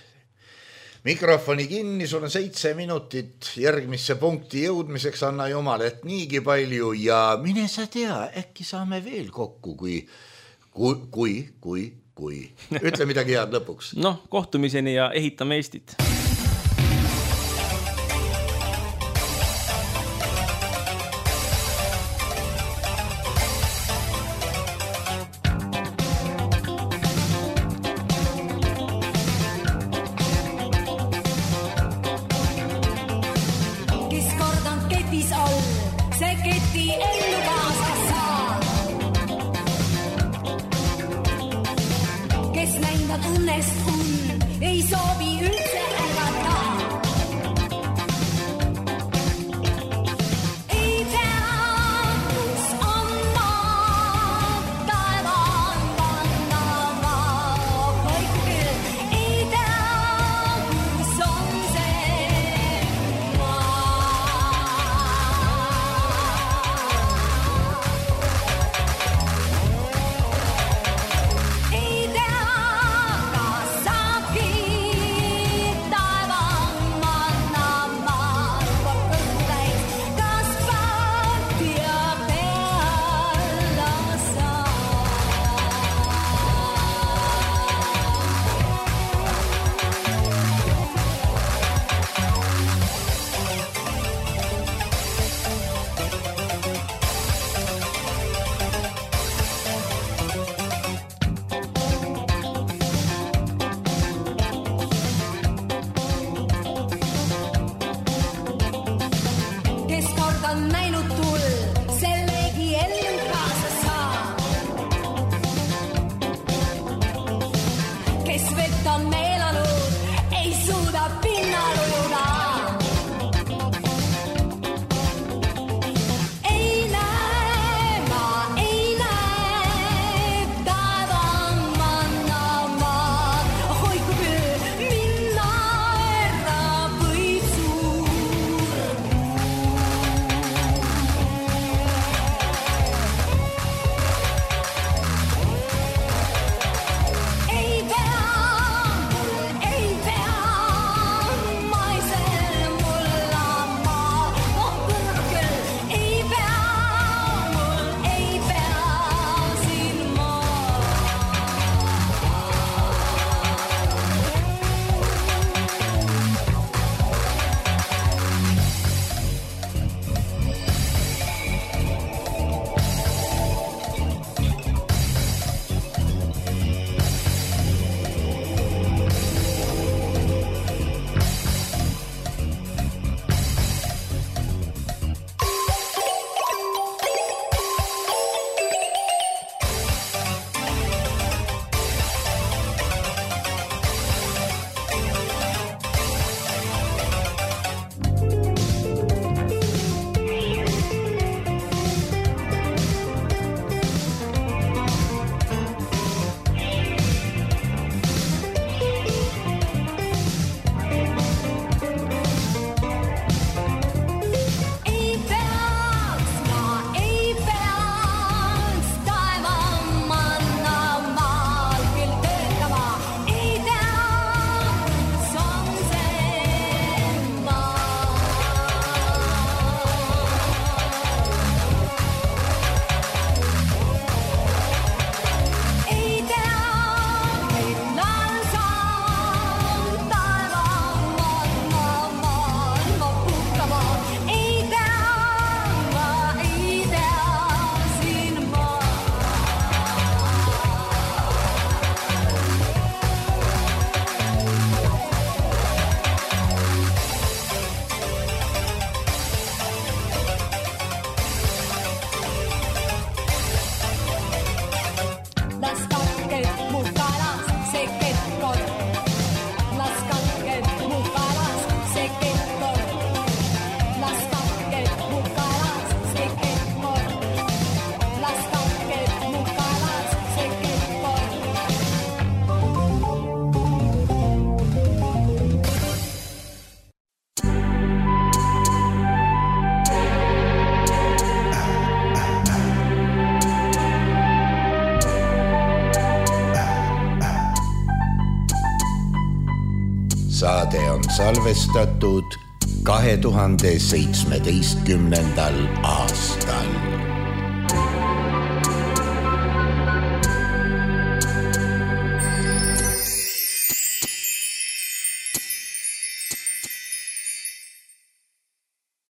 mikrofoni kinni, sul on 7 minutit järgmisse punkti jõudmiseks, anna jumal, et niigi palju ja mine sa tea, äkki saame veel kokku, kui. Ütle midagi head lõpuks. Kohtumiseni ja ehitame Eestit. Kes kord on ketis all, see keti ellu kaasa saa. Kes näinud õnnest ei soovi üldse ärgata. Ei tea, kus on maa, taevaan vannava hoikil. Ei tea, kus on see maa. Ei tea, ma ei see saade on salvestatud 2017. aastal.